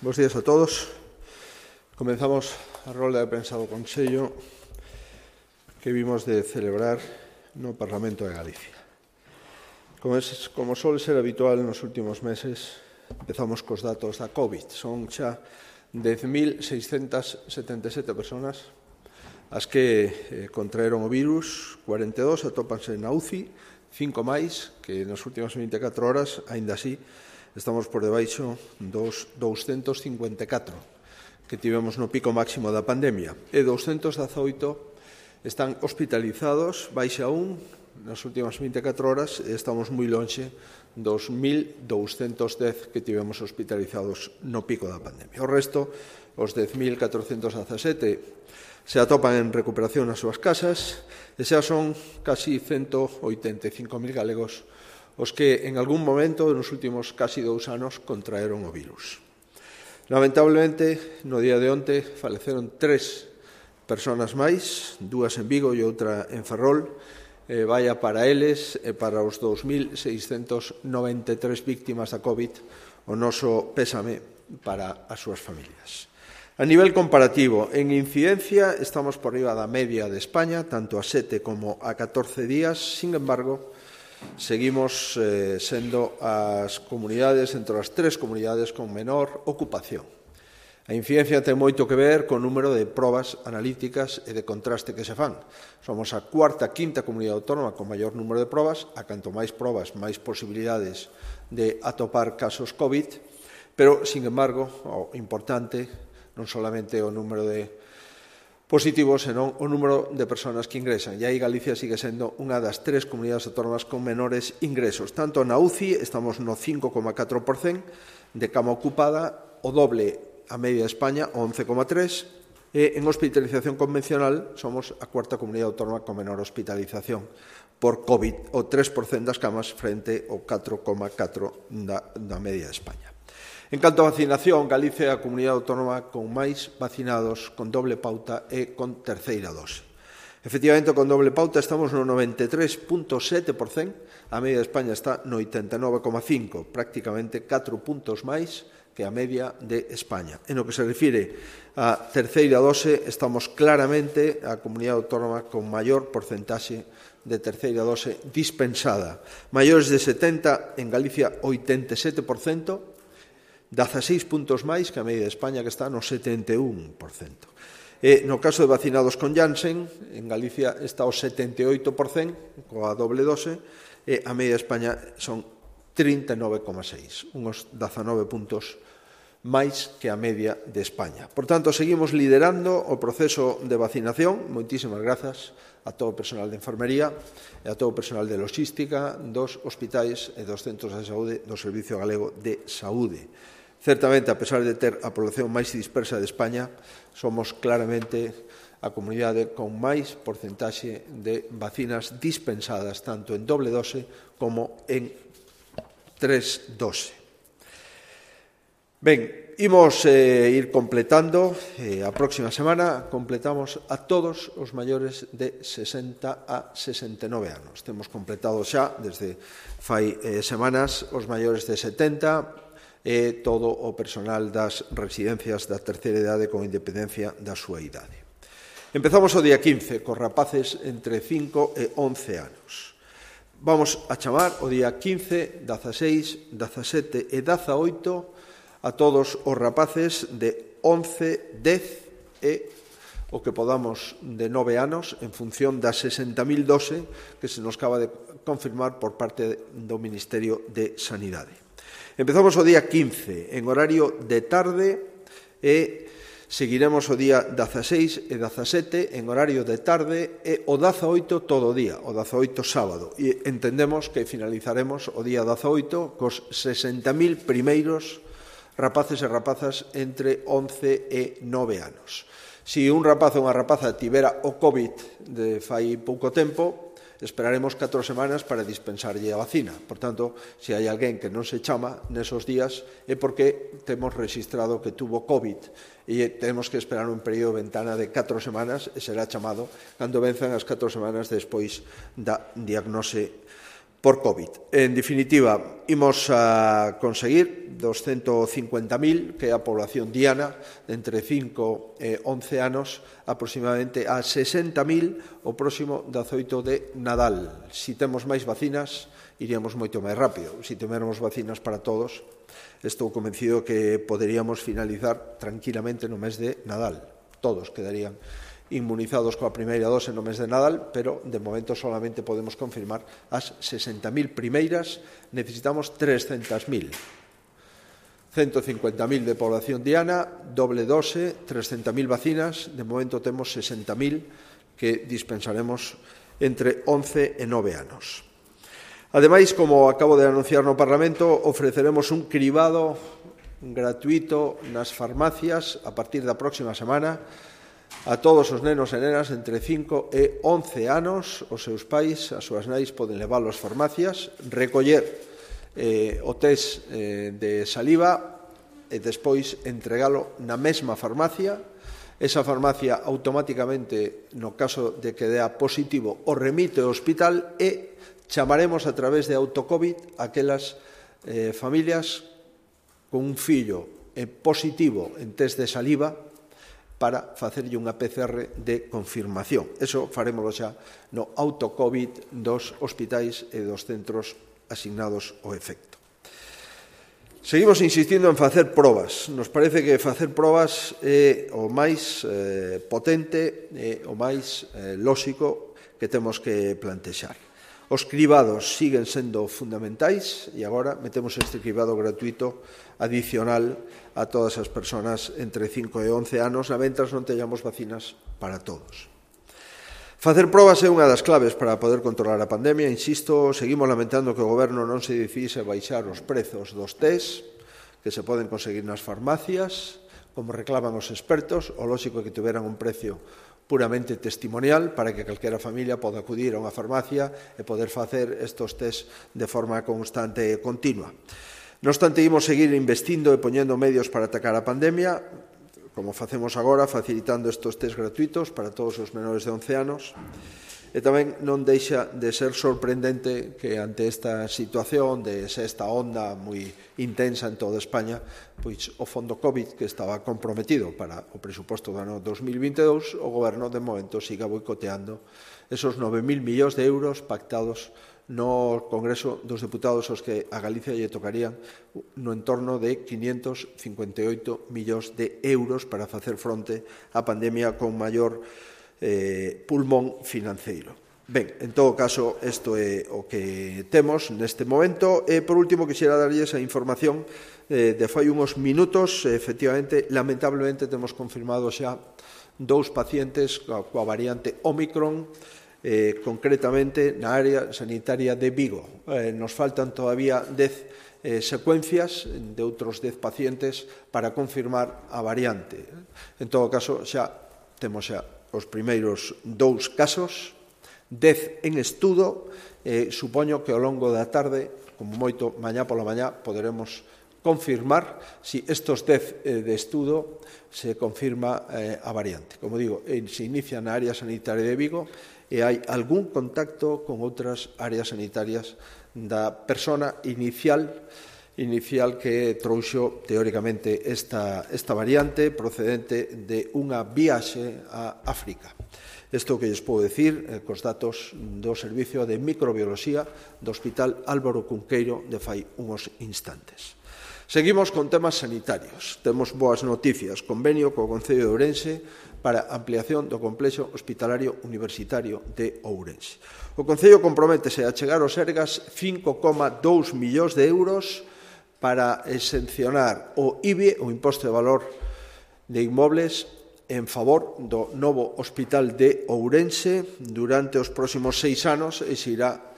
Bos días a todos. Comenzamos a rolda de prensa do Consello que vimos de celebrar no Parlamento de Galicia. Como suele ser habitual nos últimos meses, empezamos cos datos da COVID. Son xa 10.677 personas as que contraeron o virus, 42 atópanse na UCI, 5 máis que nas últimas 24 horas, aínda así, estamos por debaixo dos 254 que tivemos no pico máximo da pandemia. E 218 están hospitalizados, baixa un nas últimas 24 horas, e estamos moi lonxe dos 1.210 que tivemos hospitalizados no pico da pandemia. O resto, os 10.417, se atopan en recuperación nas súas casas e xa son casi 185.000 galegos os que en algún momento nos últimos casi 2 anos contraeron o virus. Lamentablemente, no día de onte faleceron 3 personas máis, 2 en Vigo e outra en Ferrol. Vaya para eles e para os 2.693 víctimas da COVID o noso pésame para as súas familias. A nivel comparativo, en incidencia estamos por riba da media de España, tanto a 7 como a 14 días. Sin embargo, seguimos sendo as comunidades, entre as 3 comunidades con menor ocupación. A incidencia ten moito que ver co número de probas analíticas e de contraste que se fan. Somos a cuarta, quinta comunidade autónoma con maior número de probas, a canto máis probas, máis posibilidades de atopar casos COVID, pero, sin embargo, o importante non solamente o número de positivos, senón o número de persoas que ingresan. E aí Galicia sigue sendo unha das 3 comunidades autónomas con menores ingresos. Tanto na UCI estamos no 5,4% de cama ocupada, o doble a media de España, o 11,3%, e en hospitalización convencional somos a cuarta comunidade autónoma con menor hospitalización por COVID, o 3% das camas frente ao 4,4% da media de España. En canto a vacinación, Galicia é a comunidade autónoma con máis vacinados con doble pauta e con terceira dose. Efectivamente, con doble pauta estamos no 93,7%, a media de España está no 89,5%, prácticamente 4 puntos máis que a media de España. En lo que se refire a terceira dose, estamos claramente a comunidade autónoma con maior porcentaxe de terceira dose dispensada. Maiores de 70, en Galicia 87%, 16 puntos máis que a media de España, que está no 71%. E no caso de vacinados con Janssen, en Galicia está o 78% coa doble dose, e a media de España son 39,6, uns 19 puntos máis que a media de España. Por tanto, seguimos liderando o proceso de vacinación. Moitísimas grazas a todo o personal de enfermería e a todo o personal de logística dos hospitais e dos centros de saúde do Servicio Galego de Saúde. Certamente, a pesar de ter a población máis dispersa de España, somos claramente a comunidade con máis porcentaxe de vacinas dispensadas, tanto en doble dose como en 3 dose. Ben, imos ir completando. A próxima semana completamos a todos os maiores de 60 a 69 anos. Temos completado xa, desde fai semanas, os maiores de 70 e todo o personal das residencias da terceira idade con independencia da súa idade. Empezamos o día 15, cos rapaces entre 5 e 11 anos. Vamos a chamar o día 15, 16, 17 e 18 a todos os rapaces de 11, 10 e o que podamos de 9 anos en función das 60.000 dose que se nos acaba de confirmar por parte do Ministerio de Sanidade. Empezamos o día 15 en horario de tarde e seguiremos o día 16 e 17 en horario de tarde e o 18 todo o día, o 18 sábado. E entendemos que finalizaremos o día 18 cos 60.000 primeiros rapaces e rapazas entre 11 e 9 anos. Se un rapaz ou unha rapaza tivera o COVID de fai pouco tempo, esperaremos 4 semanas para dispensarlle a vacina. Por tanto, se hai alguén que non se chama nesos días é porque temos registrado que tuvo COVID e temos que esperar un período de ventana de 4 semanas e será chamado cando venzan as 4 semanas despois da diagnose por COVID. En definitiva, imos a conseguir 250.000, que é a población diana, de entre 5 e 11 anos, aproximadamente a 60.000 o próximo 18 de Nadal. Si temos máis vacinas, iríamos moito máis rápido. Si tivermos vacinas para todos, estou convencido que poderíamos finalizar tranquilamente no mes de Nadal. Todos quedarían inmunizados coa primeira dose no mes de Nadal, pero de momento solamente podemos confirmar as 60.000 primeiras, necesitamos 300.000. 150.000 de población diana, doble dose, 300.000 vacinas, de momento temos 60.000 que dispensaremos entre 11 e 9 anos. Ademais, como acabo de anunciar no Parlamento, ofreceremos un cribado gratuito nas farmacias a partir da próxima semana a todos os nenos e nenas entre 5 e 11 anos. Os seus pais, as súas nais, poden leválo ás farmacias, recoller o test de saliva e despois entregalo na mesma farmacia. Esa farmacia automáticamente, no caso de que dea positivo, o remite ao hospital e chamaremos a través de AutoCovid aquelas familias con un fillo positivo en test de saliva para facerlle unha PCR de confirmación. Eso farémoslo xa no AutoCovid dos hospitais e dos centros asignados ao efecto. Seguimos insistindo en facer probas. Nos parece que facer probas é o máis potente e o máis lóxico que temos que plantexar. Os cribados siguen sendo fundamentais e agora metemos este cribado gratuito adicional a todas as persoas entre 5 e 11 anos, mentras non teñamos vacinas para todos. Facer probas é unha das claves para poder controlar a pandemia. Insisto, seguimos lamentando que o Goberno non se decidise baixar os prezos dos test que se poden conseguir nas farmacias, como reclaman os expertos. O lóxico é que tiveran un precio puramente testimonial para que calquera familia poda acudir a unha farmacia e poder facer estes test de forma constante e continua. Non obstante, imos seguir investindo e poñendo medios para atacar a pandemia, como facemos agora, facilitando estes test gratuitos para todos os menores de 11 anos. E tamén non deixa de ser sorprendente que ante esta situación de sexta onda moi intensa en toda España, pois o fondo COVID que estaba comprometido para o presuposto do ano 2022, o Goberno de momento siga boicoteando esos 9.000 millóns de euros pactados no Congreso dos Deputados, os que a Galicia lle tocarían no entorno de 558 millóns de euros para facer fronte á pandemia con maior pulmón financeiro. Ben, en todo caso, isto é o que temos neste momento. E, por último, quixera darlles a información de fai uns minutos. Efectivamente, lamentablemente, temos confirmado xa 2 pacientes coa variante Omicron, concretamente na área sanitaria de Vigo. Nos faltan todavía 10 secuencias de outros 10 pacientes para confirmar a variante. En todo caso, xa temos xa os primeiros 2 casos, 10 en estudo, supoño que ao longo da tarde, como moito mañá pola mañá, poderemos confirmar se estes 10 de estudo se confirma a variante. Como digo, se inicia na área sanitaria de Vigo e hai algún contacto con outras áreas sanitarias da persona inicial que trouxo teóricamente esta variante procedente de unha viaxe a África. Isto que lles podo dicir cos datos do Servicio de Microbioloxía do Hospital Álvaro Cunqueiro de fai uns instantes. Seguimos con temas sanitarios. Temos boas noticias. Convenio co Concello de Ourense para ampliación do complexo hospitalario universitario de Ourense. O Concello comprométese a chegar aos Sergas 5,2 millóns de euros para exencionar o IBI, o Imposto de Valor de Inmobles, en favor do novo Hospital de Ourense durante os próximos 6 anos e se irá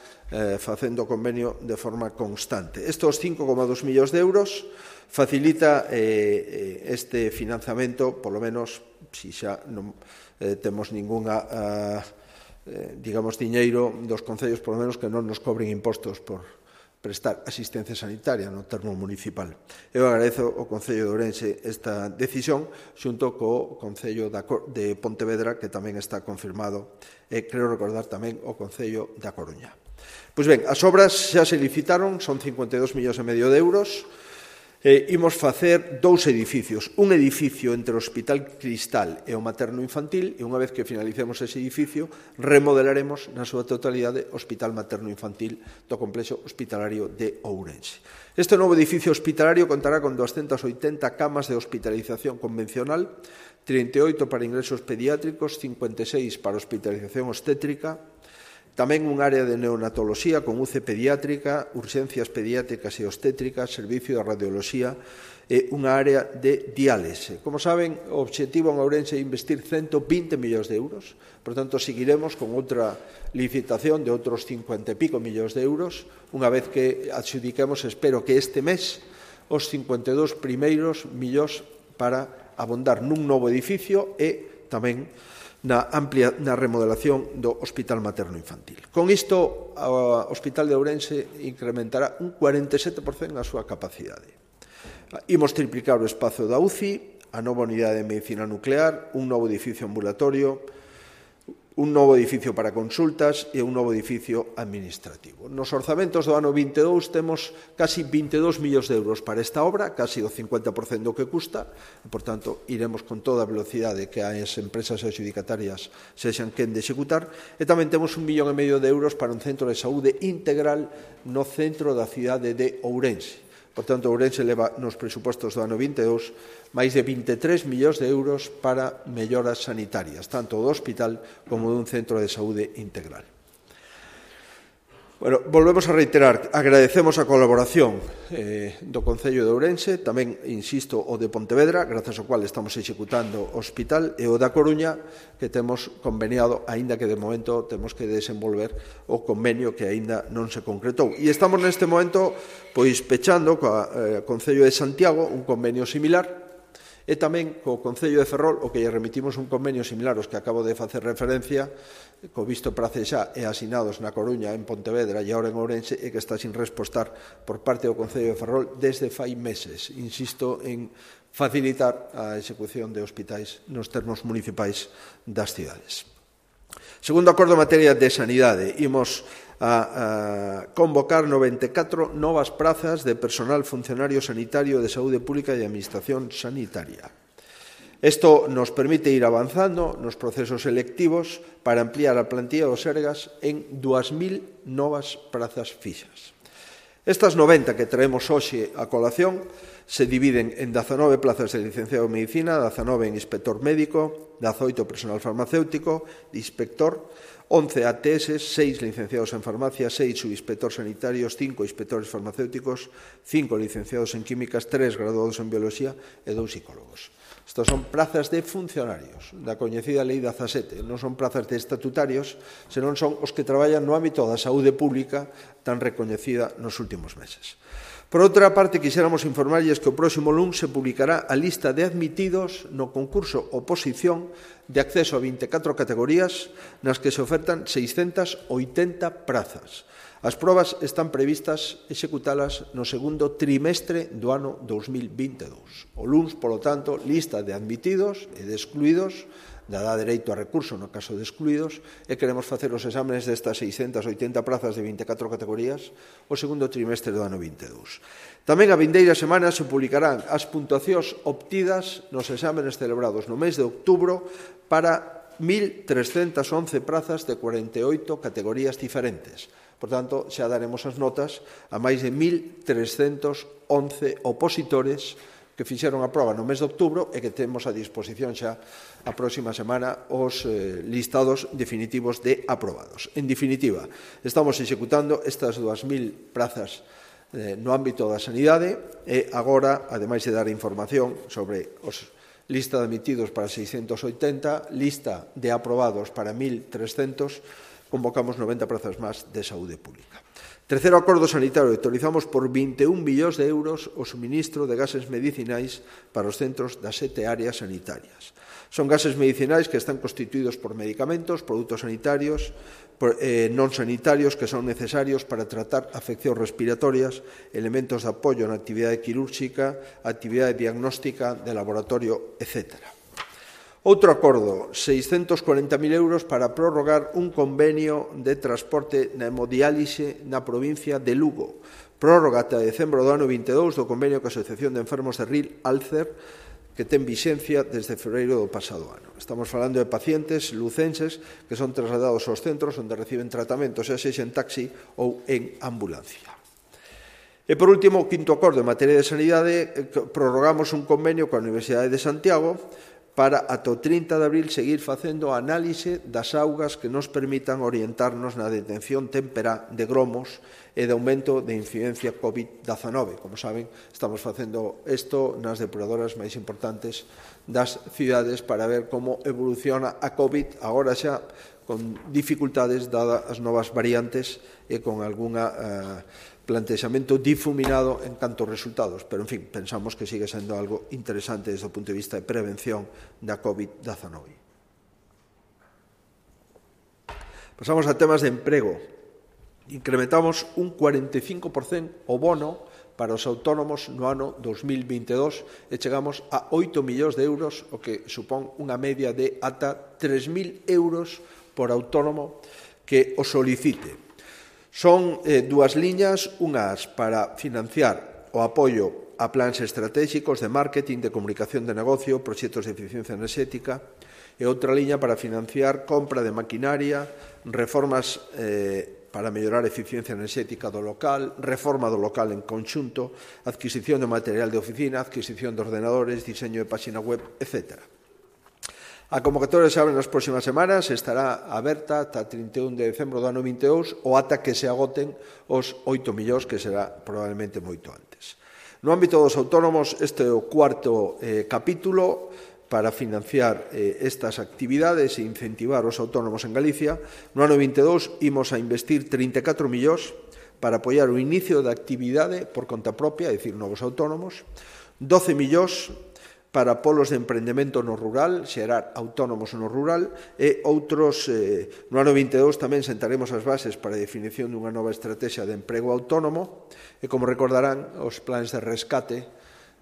facendo convenio de forma constante. Estos 5,2 millóns de euros facilita este financiamento, polo menos, se xa non temos ningunha, digamos, diñeiro dos concellos, polo menos, que non nos cobren impostos por prestar asistencia sanitaria no termo municipal. Eu agradezo ao Concello de Ourense esta decisión xunto co Concello de Pontevedra, que tamén está confirmado, e creo recordar tamén o Concello da Coruña. Pois ben, as obras xa se licitaron, son 52,5 millóns de euros. Imos facer 2 edificios, un edificio entre o Hospital Cristal e o Materno Infantil, e unha vez que finalicemos ese edificio, remodelaremos na súa totalidade o Hospital Materno Infantil do Complexo Hospitalario de Ourense. Este novo edificio hospitalario contará con 280 camas de hospitalización convencional, 38 para ingresos pediátricos, 56 para hospitalización obstétrica, tamén un área de neonatoloxía con UCE pediátrica, urxencias pediátricas e obstétricas, servicio de radioloxía e unha área de diálise. Como saben, o obxectivo en Ourense é investir 120 millóns de euros, por tanto, seguiremos con outra licitación de outros 50 e pico millóns de euros, unha vez que adxudiquemos, espero que este mes, os 52 primeiros millóns para abondar nun novo edificio e tamén na remodelación do Hospital Materno Infantil. Con isto, o Hospital de Ourense incrementará un 47% a súa capacidade. Imos triplicar o espazo da UCI, a nova unidade de medicina nuclear, un novo edificio ambulatorio, un novo edificio para consultas e un novo edificio administrativo. Nos orzamentos do ano 22 temos casi 22 millóns de euros para esta obra, casi o 50% do que custa, e, por tanto, iremos con toda a velocidade que as empresas adxudicatarias sexan quen de executar, e tamén temos 1,5 millón de euros para un centro de saúde integral no centro da cidade de Ourense. Por tanto, Ourense leva nos presupostos do ano 22 máis de 23 millóns de euros para melloras sanitarias, tanto do hospital como dun centro de saúde integral. Bueno, volvemos a reiterar, agradecemos a colaboración do Concello de Ourense, tamén, insisto, o de Pontevedra, grazas ao cual estamos executando o hospital, e o da Coruña, que temos conveniado, aínda que de momento temos que desenvolver o convenio que aínda non se concretou. E estamos neste momento pois pechando co Concello de Santiago un convenio similar, e tamén co Concello de Ferrol, o que lle remitimos un convenio similar aos que acabo de facer referencia, co visto prace xa e asinados na Coruña, en Pontevedra e agora en Ourense, e que está sin respostar por parte do Concello de Ferrol desde fai meses. Insisto en facilitar a execución de hospitais nos termos municipais das cidades. Segundo acordo en materia de sanidade, imos a convocar 94 novas prazas de personal funcionario sanitario de saúde pública e administración sanitaria. Isto nos permite ir avanzando nos procesos selectivos para ampliar a plantilla do Sergas en 2.000 novas prazas fixas. Estas 90 que traemos hoxe a colación se dividen en 19 plazas de licenciado en Medicina, 19 en inspector médico, 18 personal farmacéutico, inspector, 11 ATS, 6 licenciados en farmacia, 6 subinspectores sanitarios, 5 inspectores farmacéuticos, 5 licenciados en químicas, 3 graduados en biología e 2 psicólogos. Estas son plazas de funcionarios da coñecida Lei 17, non son plazas de estatutarios, senón son os que traballan no ámbito da saúde pública tan recoñecida nos últimos meses. Por outra parte, quixéramos informarlles que o próximo luns se publicará a lista de admitidos no concurso oposición de acceso a 24 categorías nas que se ofertan 680 prazas. As probas están previstas executalas no segundo trimestre do ano 2022. O luns, polo tanto, lista de admitidos e de excluídos, dá dereito a recurso no caso de excluídos, e queremos facer os exámenes destas 680 prazas de 24 categorías o segundo trimestre do ano 22. Tamén a vindeira semana se publicarán as puntuacións obtidas nos exámenes celebrados no mes de outubro para 1.311 prazas de 48 categorías diferentes. Por tanto, xa daremos as notas a máis de 1.311 opositores que fixeron a proba no mes de outubro e que temos a disposición xa a próxima semana os listados definitivos de aprobados. En definitiva, estamos executando estas 2.000 prazas no ámbito da sanidade e agora, ademais de dar información sobre os lista de admitidos para 680, lista de aprobados para 1.300, convocamos 90 prazas máis de saúde pública. Terceiro acordo sanitario, autorizamos por 21 millóns de euros o suministro de gases medicinais para os centros das 7 áreas sanitarias. Son gases medicinais que están constituídos por medicamentos, produtos sanitarios, non sanitarios que son necesarios para tratar afeccións respiratorias, elementos de apoio na actividade quirúrxica, actividade diagnóstica de laboratorio, etc. Outro acordo, 640.000 euros para prorrogar un convenio de transporte na hemodiálise na provincia de Lugo. Prórroga ata decembro do ano 22 do convenio coa Asociación de Enfermos de Ril Alcer, que ten vixencia desde febreiro do pasado ano. Estamos falando de pacientes lucenses que son trasladados aos centros onde reciben tratamento, xa sexa en taxi ou en ambulancia. E, por último, o quinto acordo en materia de sanidade, prorrogamos un convenio coa Universidade de Santiago para ata o 30 de abril seguir facendo a análise das augas que nos permitan orientarnos na detención temperá de gromos e de aumento de incidencia COVID-19. Como saben, estamos facendo isto nas depuradoras máis importantes das cidades para ver como evoluciona a COVID, agora xa con dificultades dadas as novas variantes e con algunha plantexamento difuminado en canto resultados, pero, en fin, pensamos que sigue sendo algo interesante desde o punto de vista de prevención da COVID-19. Pasamos a temas de emprego. Incrementamos un 45% o bono para os autónomos no ano 2022 e chegamos a 8 millóns de euros, o que supón unha media de ata 3.000 euros por autónomo que o solicite. Son dúas liñas, unhas para financiar o apoio a plans estratégicos de marketing, de comunicación de negocio, proxectos de eficiencia enerxética, e outra liña para financiar compra de maquinaria, reformas para mellorar a eficiencia enerxética do local, reforma do local en conxunto, adquisición de material de oficina, adquisición de ordenadores, diseño de páxina web, etc. A convocatoria se abre nas próximas semanas, estará aberta ata 31 de decembro do ano 22 ou ata que se agoten os 8 millóns, que será probablemente moito antes. No ámbito dos autónomos, este é o cuarto capítulo para financiar estas actividades e incentivar os autónomos en Galicia. No ano 22 imos a investir 34 millóns para apoiar o inicio da actividade por conta propia, é dicir, novos autónomos, 12 millóns para polos de emprendemento no rural, xerar autónomos no rural, e outros, no ano 22 tamén sentaremos as bases para a definición dunha nova estrategia de emprego autónomo, e como recordarán, os plans de rescate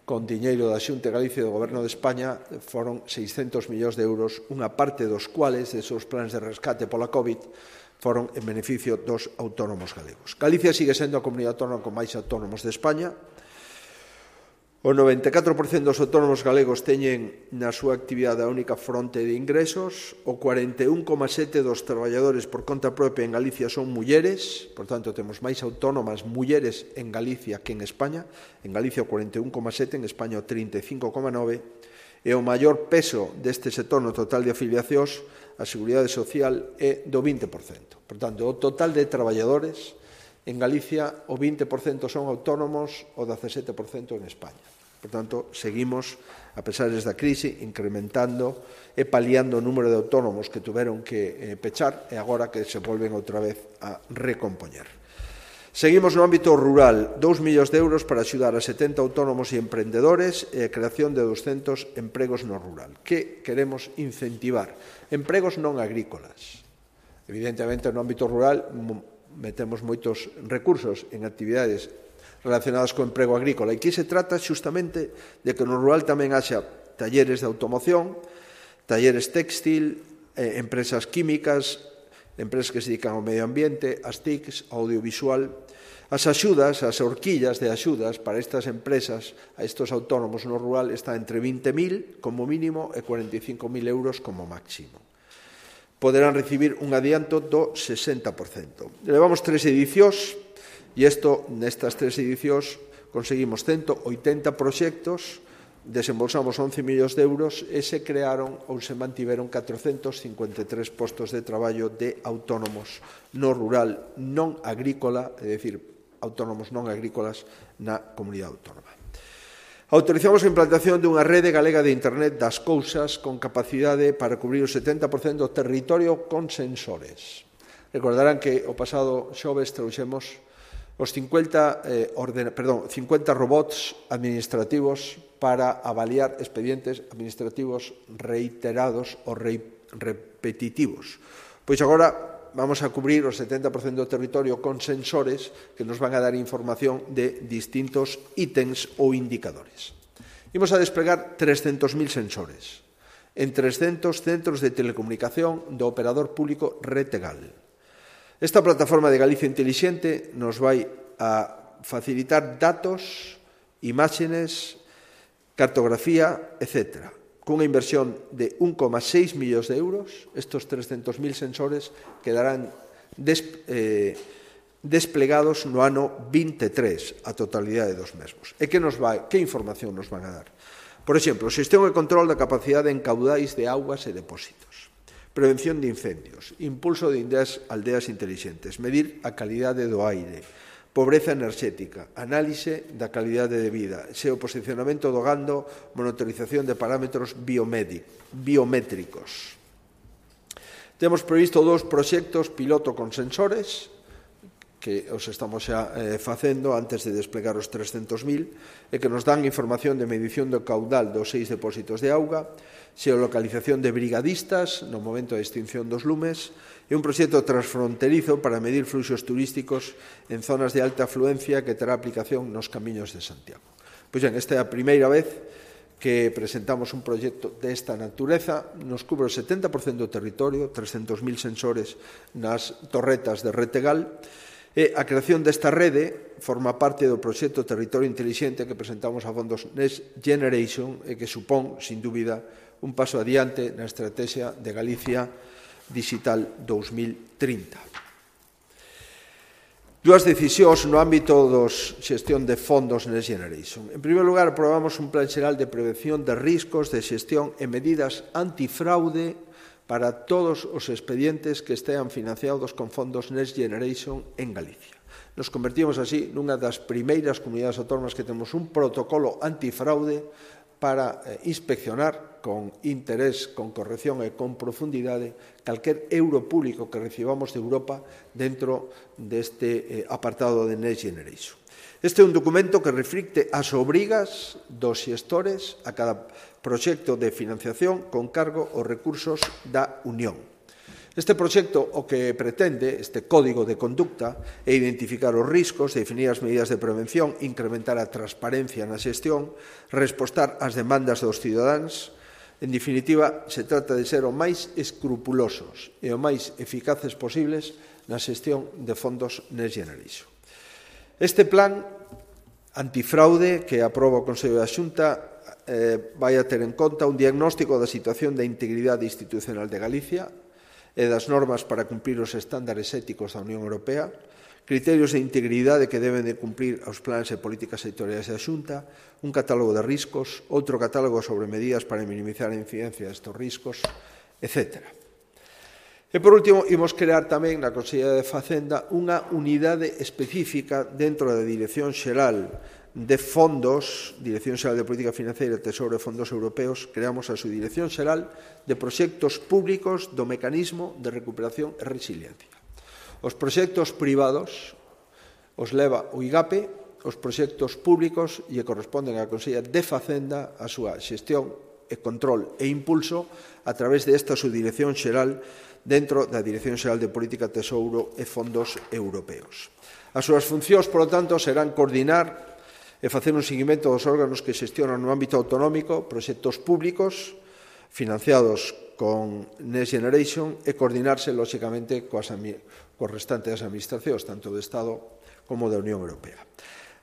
con diñeiro da Xunta de Galicia e do Goberno de España foron 600 millóns de euros, unha parte dos cuales, desos plans de rescate pola COVID, foron en beneficio dos autónomos galegos. Galicia sigue sendo a comunidade autónoma con máis autónomos de España. O 94% dos autónomos galegos teñen na súa actividade a única fronte de ingresos, o 41,7% dos traballadores por conta propia en Galicia son mulleres, por tanto temos máis autónomas mulleres en Galicia que en España, en Galicia o 41,7%, en España o 35,9%, e o maior peso deste sector no total de afiliacións, a Seguridade Social, é do 20%. Por tanto, o total de traballadores en Galicia o 20% son autónomos, o 17% en España. Por tanto, seguimos, a pesar da crise, incrementando e paliando o número de autónomos que tuveron que pechar e agora que se volven outra vez a recompoñer. Seguimos no ámbito rural, 2 millóns de euros para axudar a 70 autónomos e emprendedores e a creación de 200 empregos no rural. Que queremos incentivar? Empregos non agrícolas. Evidentemente, no ámbito rural metemos moitos recursos en actividades relacionadas co emprego agrícola. E aquí se trata xustamente de que no rural tamén haxa talleres de automoción, talleres textil, empresas químicas, empresas que se dedican ao medio ambiente, as TICs, ao audiovisual. As axudas, as horquillas de axudas para estas empresas, a estes autónomos no rural, está entre 20.000 como mínimo e 45.000 euros como máximo. Poderán recibir un adianto do 60%. Levamos 3 edicións, e nestas 3 edicións conseguimos 180 proxectos, desembolsamos 11 millóns de euros e se crearon ou se mantiveron 453 postos de traballo de autónomos no rural non agrícola, é dicir, autónomos non agrícolas na comunidade autónoma. Autorizamos a implantación dunha rede galega de Internet das cousas con capacidade para cubrir o 70% do territorio con sensores. Recordarán que o pasado xoves trouxemos os 50 robots administrativos para avaliar expedientes administrativos reiterados ou repetitivos. Pois agora vamos a cubrir o 70% do territorio con sensores que nos van a dar información de distintos ítems ou indicadores. Imos a desplegar 300.000 sensores en 300 centros de telecomunicación do operador público Retegal. Esta plataforma de Galicia Intelixente nos vai a facilitar datos, imágenes, cartografía, etc., cunha inversión de 1,6 millóns de euros. Estos 300.000 sensores quedarán desplegados no ano 23, a totalidade dos mesmos. E que información nos van a dar? Por exemplo, xestión e control da capacidade en caudais de augas e depósitos, prevención de incendios, impulso de aldeas intelixentes, medir a calidade do aire, pobreza enerxética, análise da calidade de vida, xeoposicionamento do gando, monitorización de parámetros biométricos. Temos previsto 2 proxectos piloto con sensores, que os estamos xa facendo antes de desplegar os 300.000, e que nos dan información de medición do caudal dos 6 depósitos de auga, xeolocalización de brigadistas no momento da extinción dos lumes, e un proxecto transfronterizo para medir fluxos turísticos en zonas de alta afluencia que terá aplicación nos camiños de Santiago. Pois ben, esta é a primeira vez que presentamos un proxecto desta natureza. Nos cubre o 70% do territorio, 300.000 sensores nas torretas de Retegal, e a creación desta rede forma parte do proxecto Territorio Intelixente que presentamos a fondos Next Generation e que supón, sin dúbida, un paso adiante na estrategia de Galicia Digital 2030. Dúas decisións no ámbito da xestión de fondos Next Generation. En primeiro lugar, aprobamos un plan xeral de prevención de riscos de xestión e medidas antifraude para todos os expedientes que estean financiados con fondos Next Generation en Galicia. Nos convertimos así nunha das primeiras comunidades autónomas que temos un protocolo antifraude para inspeccionar con interés, con corrección e con profundidade calquer euro público que recibamos de Europa dentro deste apartado de Next Generation. Este é un documento que reflicte as obrigas dos xestores a cada proxecto de financiación con cargo aos recursos da Unión. Este proxecto o que pretende, este código de conducta, é identificar os riscos, definir as medidas de prevención, incrementar a transparencia na xestión, respostar ás demandas dos cidadáns. En definitiva, se trata de ser o máis escrupulosos e o máis eficaces posibles na xestión de fondos Next Generation. Este plan antifraude que aproba o Consello da Xunta vai a ter en conta un diagnóstico da situación da integridade institucional de Galicia e das normas para cumprir os estándares éticos da Unión Europea, criterios de integridade que deben de cumprir os planes e políticas sectoriais da Xunta, un catálogo de riscos, outro catálogo sobre medidas para minimizar a incidencia destes riscos, etc. E, por último, imos crear tamén na Consellería de Facenda unha unidade específica dentro da Dirección Xeral de Fondos, Dirección Xeral de Política Financeira, Tesouro e Fondos Europeos. Creamos a Subdirección Xeral de Proxectos Públicos do Mecanismo de Recuperación e Resiliencia. Os proxectos privados os leva o IGAPE, os proxectos públicos lle corresponden á Consellería de Facenda a súa xestión e control e impulso a través desta Subdirección Xeral dentro da Dirección Xeral de Política, Tesouro e Fondos Europeos. As súas funcións, polo tanto, serán coordinar e facer un seguimento dos órganos que xestionan no ámbito autonómico proxectos públicos financiados con Next Generation e coordinarse, lóxicamente, coas restantes administracións, tanto do Estado como da Unión Europea.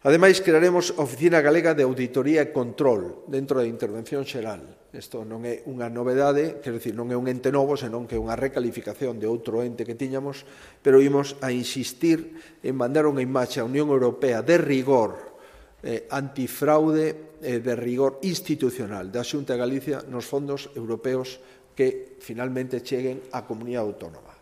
Ademais, crearemos a Oficina Galega de Auditoría e Control dentro da Intervención Xeral. Isto non é unha novedade, quero dicir, non é un ente novo, senón que é unha recalificación de outro ente que tiñamos, pero imos a insistir en mandar unha imaxe á Unión Europea de rigor antifraude e de rigor institucional da Xunta de Galicia nos fondos europeos que finalmente cheguen á comunidade autónoma.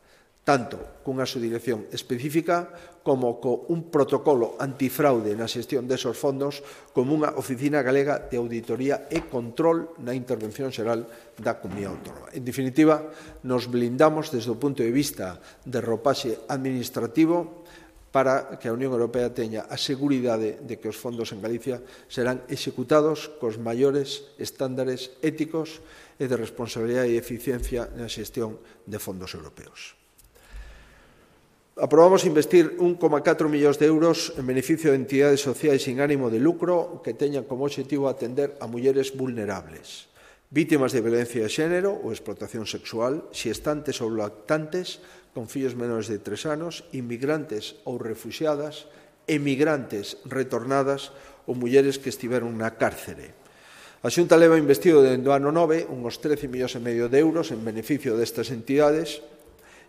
tanto cunha subdirección específica como un protocolo antifraude na xestión desos fondos, como unha oficina galega de auditoría e control na intervención xeral da Comunidade Autónoma. En definitiva, nos blindamos desde o punto de vista de ropaxe administrativo para que a Unión Europea teña a seguridade de que os fondos en Galicia serán executados cos maiores estándares éticos e de responsabilidade e eficiencia na xestión de fondos europeos. Aprobamos investir 1,4 millóns de euros en beneficio de entidades sociais sin ánimo de lucro que teñan como objetivo atender a mulleres vulnerables, vítimas de violencia de xénero ou explotación sexual, xestantes ou lactantes con fillos menores de 3 anos, inmigrantes ou refuxiadas, emigrantes retornadas ou mulleres que estiveron na cárcere. A Xunta leva investido dende o ano 9 uns 13,5 millóns de euros en beneficio destas entidades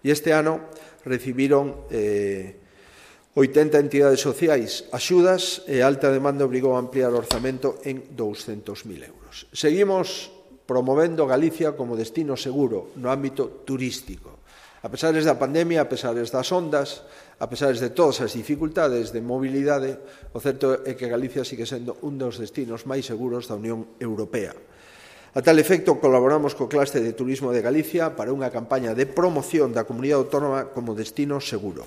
e este ano recibiron 80 entidades sociais axudas e a alta demanda obrigou a ampliar o orzamento en 200.000 euros. Seguimos promovendo Galicia como destino seguro no ámbito turístico. A pesares da pandemia, a pesares das ondas, a pesares de todas as dificultades de mobilidade, o certo é que Galicia sigue sendo un dos destinos máis seguros da Unión Europea. A tal efecto, colaboramos co Clúster de Turismo de Galicia para unha campaña de promoción da Comunidade Autónoma como destino seguro.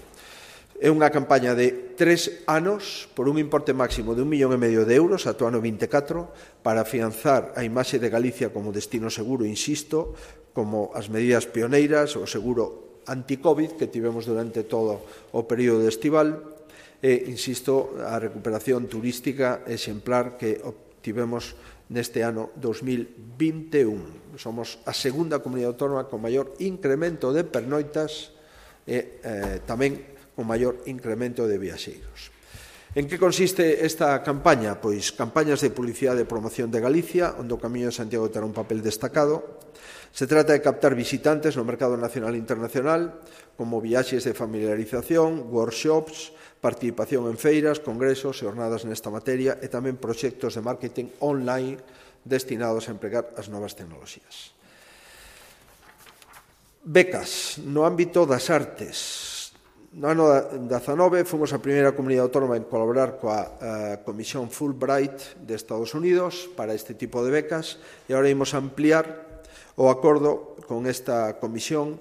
É unha campaña de 3 anos por un importe máximo de 1,5 millón de euros ata o ano 24 para afianzar a imaxe de Galicia como destino seguro, insisto, como as medidas pioneiras, o seguro anti-Covid que tivemos durante todo o período estival e, insisto, a recuperación turística exemplar que obtivemos neste ano 2021. Somos a segunda comunidade autónoma con maior incremento de pernoitas e tamén con maior incremento de viaxeiros. En que consiste esta campaña? Pois campañas de publicidade e promoción de Galicia, onde o Camiño de Santiago terá un papel destacado. Se trata de captar visitantes no mercado nacional e internacional, como viaxes de familiarización, workshops, participación en feiras, congresos e jornadas nesta materia e tamén proxectos de marketing online destinados a empregar as novas tecnoloxías. Becas no ámbito das artes. No ano 19 fomos a primeira comunidade autónoma en colaborar coa Comisión Fulbright de Estados Unidos para este tipo de becas e agora imos ampliar o acordo con esta comisión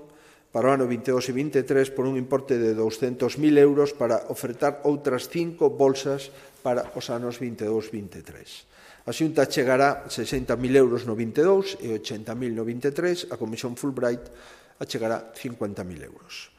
para o ano 22 e 23 por un importe de 200.000 euros para ofertar outras 5 bolsas para os anos 22-23. A Xunta chegará 60.000 euros no 22 e 80.000 no 23, a Comisión Fulbright achegará 50.000 euros.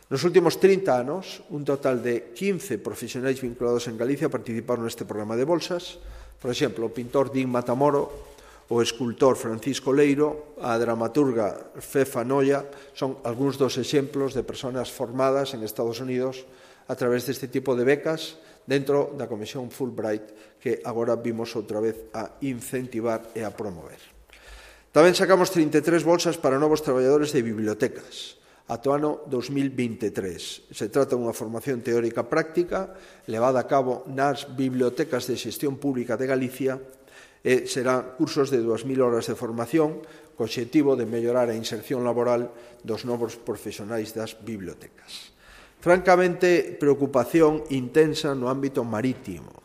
Nos últimos 30 anos, un total de 15 profesionais vinculados en Galicia participaron neste programa de bolsas. Por exemplo, o pintor Din Matamoro, o escultor Francisco Leiro, a dramaturga Fefa Noia, son algúns dos exemplos de persoas formadas en Estados Unidos a través deste tipo de becas dentro da Comisión Fulbright que agora vimos outra vez a incentivar e a promover. Tamén sacamos 33 bolsas para novos traballadores de bibliotecas ata o ano 2023. Se trata dunha formación teórica práctica levada a cabo nas bibliotecas de xestión pública de Galicia e serán cursos de 2.000 horas de formación co obxectivo de mellorar a inserción laboral dos novos profesionais das bibliotecas. Francamente, preocupación intensa no ámbito marítimo.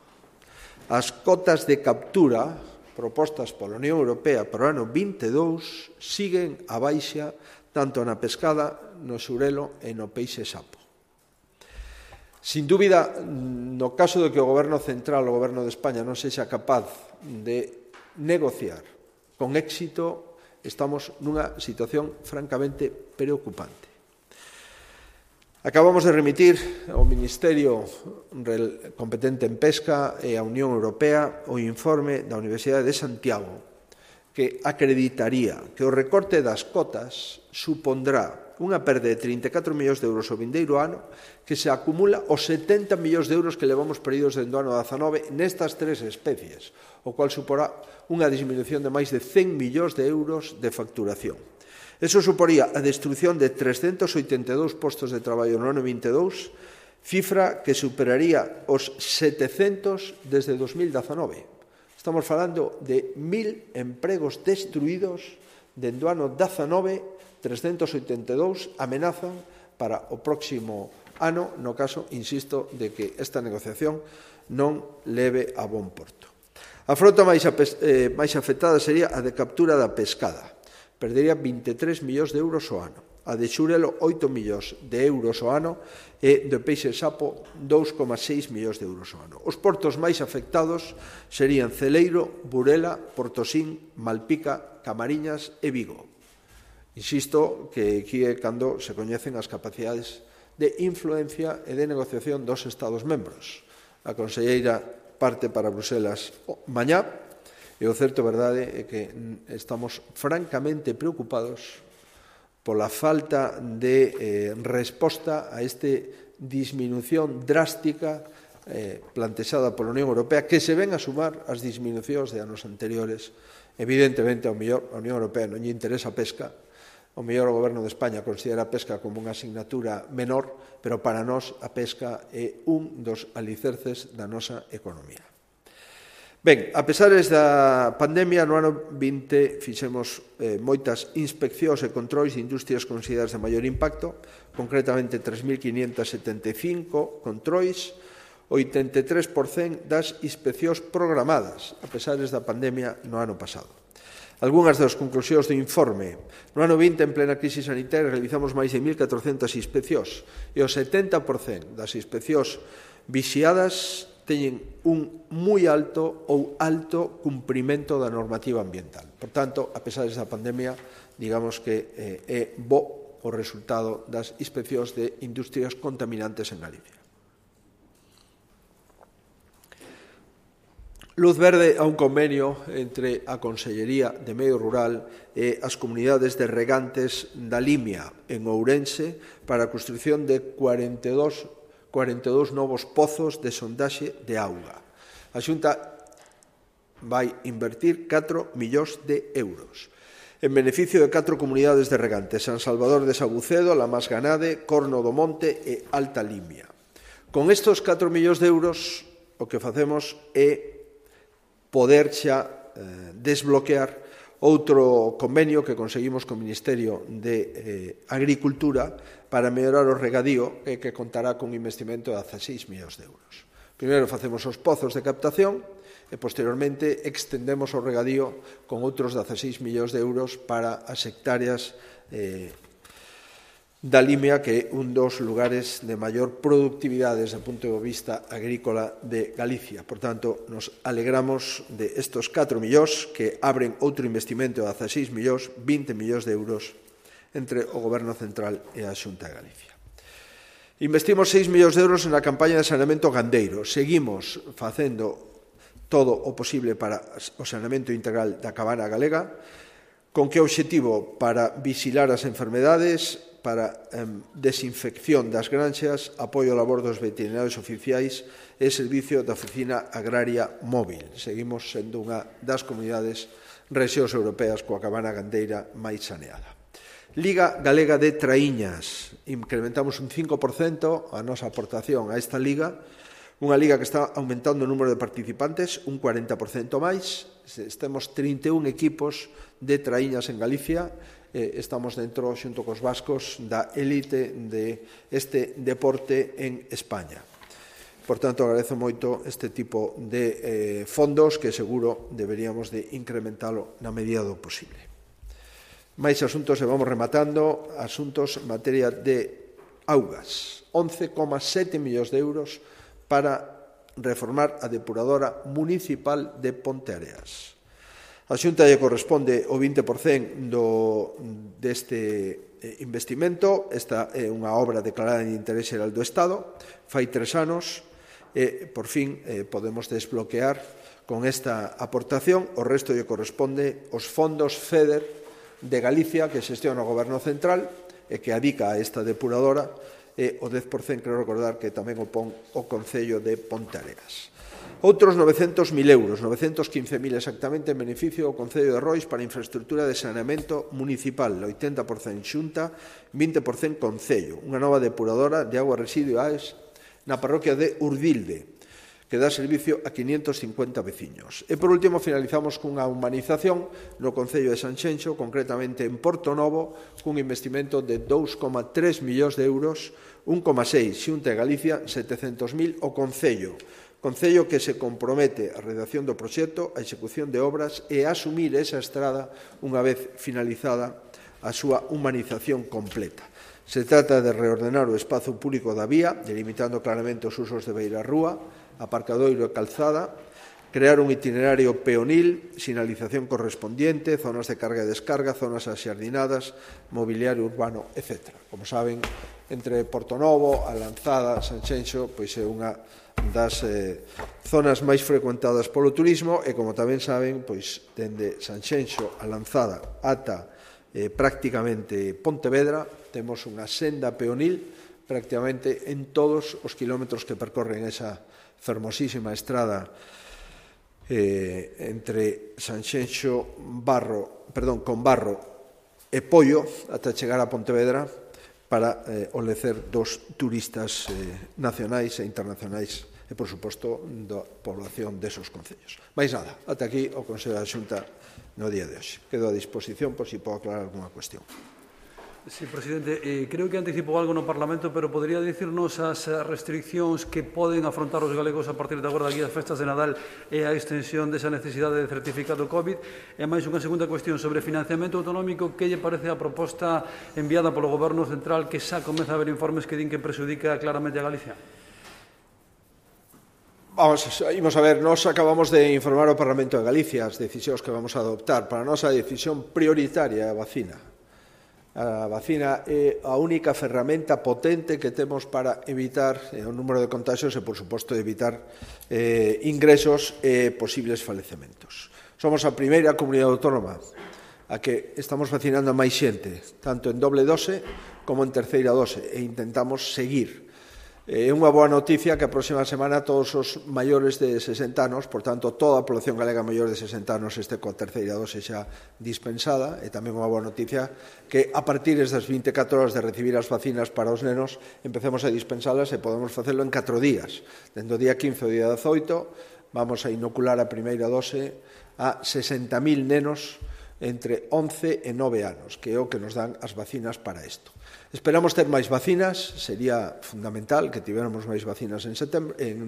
As cotas de captura propostas pola Unión Europea para o ano 22 siguen a baixa tanto na pescada, no xurelo e no peixe sapo. Sin dúbida, no caso de que o Goberno Central, o Goberno de España, non sexa capaz de negociar con éxito, estamos nunha situación francamente preocupante. Acabamos de remitir ao Ministerio competente en pesca e á Unión Europea o informe da Universidade de Santiago que acreditaría que o recorte das cotas supondrá unha perda de 34 millóns de euros o vindeiro ano que se acumula os 70 millóns de euros que levamos perdidos dende o ano 19 nestas 3 especies, o cual suporá unha disminución de máis de 100 millóns de euros de facturación. Eso suporía a destrucción de 382 postos de traballo no ano 22, cifra que superaría os 700 desde 2019. Estamos falando de 1.000 empregos destruídos dende o ano 19, 382 amenazan para o próximo ano, no caso, insisto, de que esta negociación non leve a bon porto. A frota máis afectada sería a de captura da pescada. Perdería 23 millóns de euros ao ano. A de xurelo, 8 millóns de euros ao ano e de peixe sapo, 2,6 millóns de euros ao ano. Os portos máis afectados serían Celeiro, Burela, Portosín, Malpica, Camariñas e Vigo. Insisto que aquí é cando se coñecen as capacidades de influencia e de negociación dos Estados membros. A conselleira parte para Bruselas mañá e o certo verdade é que estamos francamente preocupados pola falta de resposta a esta disminución drástica plantexada pola Unión Europea, que se ven a sumar as disminucións de anos anteriores. Evidentemente, ao mellor a Unión Europea non lle interesa a pesca, ao mellor o Goberno de España considera a pesca como unha asignatura menor, pero para nós a pesca é un dos alicerces da nosa economía. Ben, a pesar da pandemia, no ano 20 fixemos moitas inspeccións e controis de industrias consideradas de maior impacto, concretamente 3.575 controis, 83% das inspeccións programadas, a pesar da pandemia no ano pasado. Algúnas das conclusións do informe. No ano 20, en plena crise sanitaria, realizamos máis de 1.400 inspeccións e o 70% das inspeccións vixiadas teñen un moi alto ou alto cumprimento da normativa ambiental. Por tanto, a pesar da pandemia, digamos que é bo o resultado das inspeccións de industrias contaminantes en Galicia. Luz verde a un convenio entre a Consellería de Medio Rural e as comunidades de regantes da Limia en Ourense para a construción de 42 novos pozos de sondaxe de auga. A Xunta vai invertir 4 millóns de euros en beneficio de 4 comunidades de regantes: San Salvador de Sabucedo, La Masganade, Corno do Monte e Alta Limia. Con estes 4 millóns de euros, o que facemos é poder xa desbloquear outro convenio que conseguimos co Ministerio de Agricultura para mellorar o regadío e que contará con un investimento de 16 millóns de euros. Primeiro facemos os pozos de captación e posteriormente extendemos o regadío con outros 16 millóns de euros para as hectáreas da Limia, que é un dos lugares de maior productividade desde o punto de vista agrícola de Galicia. Por tanto, nos alegramos de estes 4 millóns que abren outro investimento de 16 millóns, 20 millóns de euros entre o Goberno Central e a Xunta de Galicia. Investimos 6 millóns de euros na campaña de saneamento gandeiro. Seguimos facendo todo o posible para o saneamento integral da cabana galega. Con que obxectivo? Para vixilar as enfermedades, para desinfección das granxas, apoio ao labor dos veterinarios oficiais e servicio da Oficina Agraria Móvil. Seguimos sendo unha das comunidades rexións europeas coa cabana gandeira máis saneada. Liga Galega de Traíñas. Incrementamos un 5% a nosa aportación a esta liga, unha liga que está aumentando o número de participantes, un 40% máis. Temos 31 equipos de traíñas en Galicia. Estamos dentro, xunto cos vascos, da élite deste deporte en España. Por tanto, agradezo moito este tipo de fondos que seguro deberíamos de incrementalo na medida do posible. Mais asuntos e vamos rematando. Asuntos en materia de augas. 11,7 millóns de euros para reformar a depuradora municipal de Ponteareas. A Xunta lle corresponde o 20% deste investimento. Esta é unha obra declarada de interés xeral do Estado. Fai 3 anos e, por fin, podemos desbloquear con esta aportación. O resto lle corresponde os fondos FEDER de Galicia que xestiona o Goberno Central e que adica a esta depuradora, e o 10% creo recordar que tamén o pon o Concello de Ponteareas. Outros 900.000 euros, 915.000 exactamente, en beneficio do Concello de Rois para infraestructura de saneamento municipal, 80% Xunta, 20% Concello, unha nova depuradora de augas residuais na parroquia de Urdilde, que dá servicio a 550 veciños. E, por último, finalizamos cunha humanización no Concello de Sanxenxo, concretamente en Porto Novo, cun investimento de 2,3 millóns de euros, 1,6 Xunta de Galicia, 700.000 o Concello que se compromete á redacción do proxecto, a execución de obras e a asumir esa estrada unha vez finalizada a súa humanización completa. Se trata de reordenar o espazo público da vía, delimitando claramente os usos de beirarrúa, aparcadoiro e calzada, crear un itinerario peonil, sinalización correspondiente, zonas de carga e descarga, zonas axardinadas, mobiliario urbano, etc. Como saben, entre Porto Novo, a Lanzada, Sanxenxo, pois é unha das zonas máis frecuentadas polo turismo e, como tamén saben, pois dende Sanxenxo a Lanzada ata prácticamente Pontevedra temos unha senda peonil prácticamente en todos os kilómetros que percorren esa fermosísima estrada entre Sanxenxo con Barro e Pollo ata chegar a Pontevedra para olecer dos turistas nacionais e internacionais e, por suposto, da población desos concellos. Mais nada, ata aquí o Consello da Xunta no día de hoxe. Quedo a disposición por si podo aclarar alguna cuestión. Sí, presidente, creo que anticipou algo no Parlamento, pero podería dicirnos as restriccións que poden afrontar os galegos a partir de agora daqui as festas de Nadal e a extensión desa necesidade de certificado COVID? E máis unha segunda cuestión sobre financiamento autonómico, que lle parece a proposta enviada polo Goberno Central que xa comeza a haber informes que din que prexudica claramente a Galicia? Imos a ver, nós acabamos de informar ao Parlamento de Galicia as decisións que vamos a adoptar. Para nós a decisión prioritaria é a vacina. A vacina é a única ferramenta potente que temos para evitar o número de contagios e, por suposto, evitar ingresos e posibles falecementos. Somos a primeira comunidade autónoma a que estamos vacinando a máis xente, tanto en doble dose como en terceira dose, e intentamos seguir. É unha boa noticia que a próxima semana todos os maiores de 60 anos, por tanto, toda a población galega maior de 60 anos este coa terceira dose xa dispensada, e tamén unha boa noticia que a partir das 24 horas de recibir as vacinas para os nenos empecemos a dispensalas e podemos facelo en 4 días. Dende o día 15 ao día 18 vamos a inocular a primeira dose a 60.000 nenos entre 11 e 9 anos, que é o que nos dan as vacinas para isto. Esperamos ter máis vacinas, sería fundamental que tivéramos máis vacinas en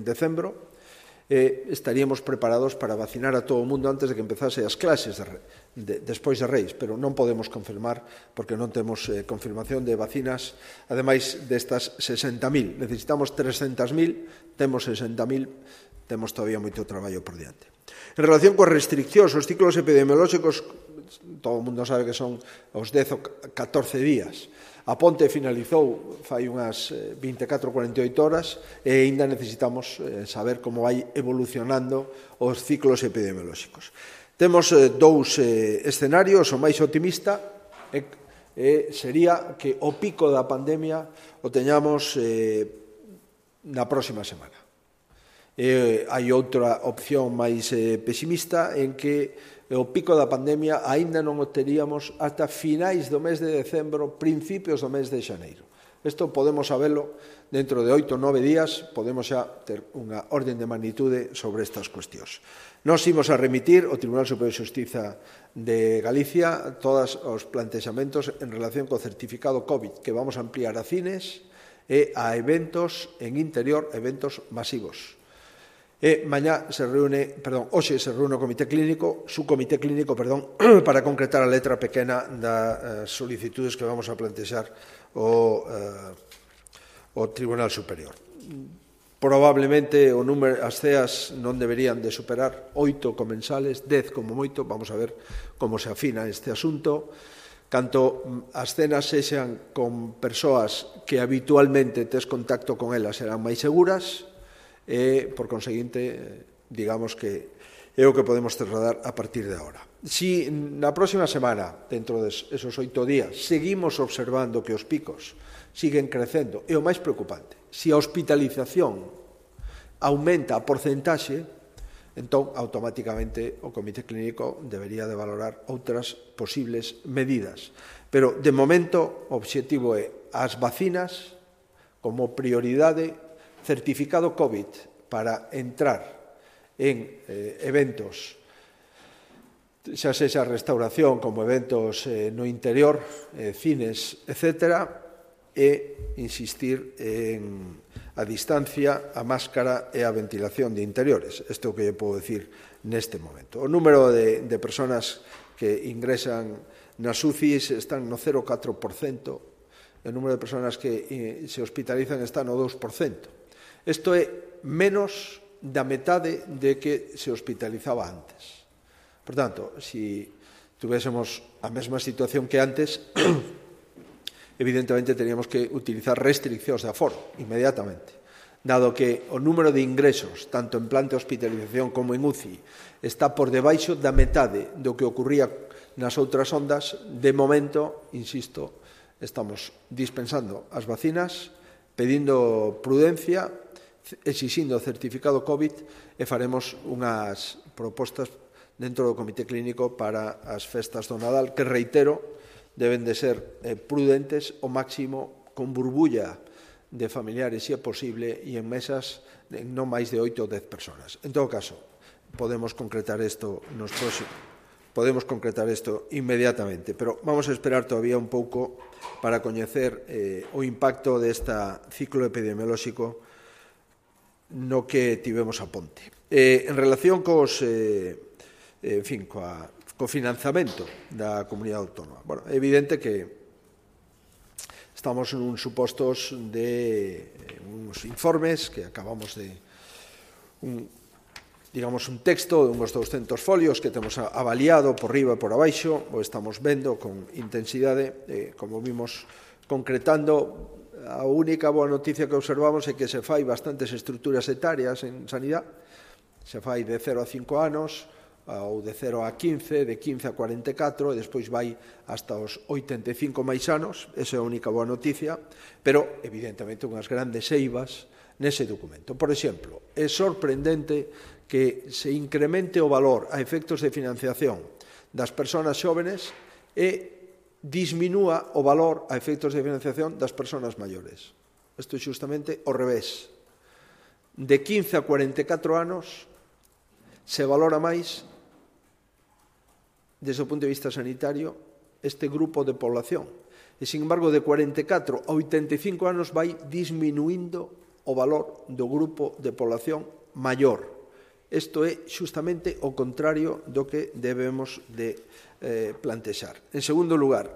decembro, e estaríamos preparados para vacinar a todo o mundo antes de que empezase as clases despois de Reis, pero non podemos confirmar porque non temos confirmación de vacinas, ademais destas 60.000. Necesitamos 300.000, temos 60.000, temos todavía moito traballo por diante. En relación coas restriccións, os ciclos epidemiolóxicos, todo o mundo sabe que son os 10 ou 14 días. A ponte finalizou fai unhas 24 ou 48 horas e aínda necesitamos saber como vai evolucionando os ciclos epidemiolóxicos. Temos dous escenarios, o máis optimista sería que o pico da pandemia o teñamos na próxima semana. Hai outra opción máis pesimista en que o pico da pandemia aínda non o teríamos ata finais do mes de decembro, principios do mes de xaneiro. Isto podemos sabelo dentro de 8 ou 9 días, podemos xa ter unha orden de magnitude sobre estas cuestións. Nós imos a remitir ao Tribunal Superior de Xustiza de Galicia todos os plantexamentos en relación co certificado COVID que vamos a ampliar a cines e a eventos en interior, eventos masivos. Hoxe se reúne o comité clínico, para concretar a letra pequena das solicitudes que vamos a plantexar ao Tribunal Superior. Probablemente as ceas non deberían de superar 8 comensales, 10 como moito, vamos a ver como se afina este asunto. Canto as cenas sexan con persoas que habitualmente tes contacto con elas serán máis seguras, e, por conseguinte, digamos que é o que podemos trasladar a partir de agora. Si na próxima semana, dentro desos 8 días, seguimos observando que os picos siguen crecendo, e o máis preocupante, si a hospitalización aumenta a porcentaxe, entón, automáticamente, o Comité Clínico debería de valorar outras posibles medidas. Pero, de momento, o obxectivo é as vacinas como prioridade, certificado COVID para entrar en eventos, xa sexa restauración como eventos no interior, cines, etc., e insistir en a distancia, a máscara e a ventilación de interiores. Isto é o que lle podo decir neste momento. O número de persoas que ingresan nas UCIs están no 0,4%, e o número de persoas que se hospitalizan está no 2%. Isto é menos da metade de que se hospitalizaba antes. Por tanto, se tuviésemos a mesma situación que antes, evidentemente teríamos que utilizar restriccións de aforo inmediatamente, dado que o número de ingresos, tanto en plan de hospitalización como en UCI, está por debaixo da metade do que ocurría nas outras ondas. De momento, insisto, estamos dispensando as vacinas, pedindo prudencia, exixindo certificado COVID, e faremos unhas propostas dentro do Comité Clínico para as festas do Nadal, que, reitero, deben de ser prudentes ao máximo, con burbulla de familiares, se é posible, e en mesas de non máis de 8 ou 10 persoas. En todo caso, podemos concretar isto nos próximos. Podemos concretar isto inmediatamente, pero vamos a esperar todavía un pouco para coñecer o impacto desta ciclo epidemiolóxico no que tivemos a ponte. En relación co financiamento da comunidade autónoma. Bueno, é evidente que estamos en uns supostos de uns informes que acabamos de un texto de uns 200 folios que temos avaliado por riba e por abaixo, o estamos vendo con intensidade, como vimos concretando. A única boa noticia que observamos é que se fai bastantes estruturas etarias en sanidade, se fai de 0 a 5 anos, ou de 0 a 15, de 15 a 44, e despois vai hasta os 85 máis anos. Esa é a única boa noticia, pero, evidentemente, unhas grandes eivas nese documento. Por exemplo, é sorprendente que se incremente o valor a efectos de financiación das persoas xóvenes e disminúa o valor a efectos de financiación das persoas maiores. Isto é justamente ao revés. De 15 a 44 anos se valora máis, desde o punto de vista sanitario, este grupo de población. E, sin embargo, de 44 a 85 anos vai disminuindo o valor do grupo de población maior. Isto é justamente o contrario do que debemos de plantexar. En segundo lugar,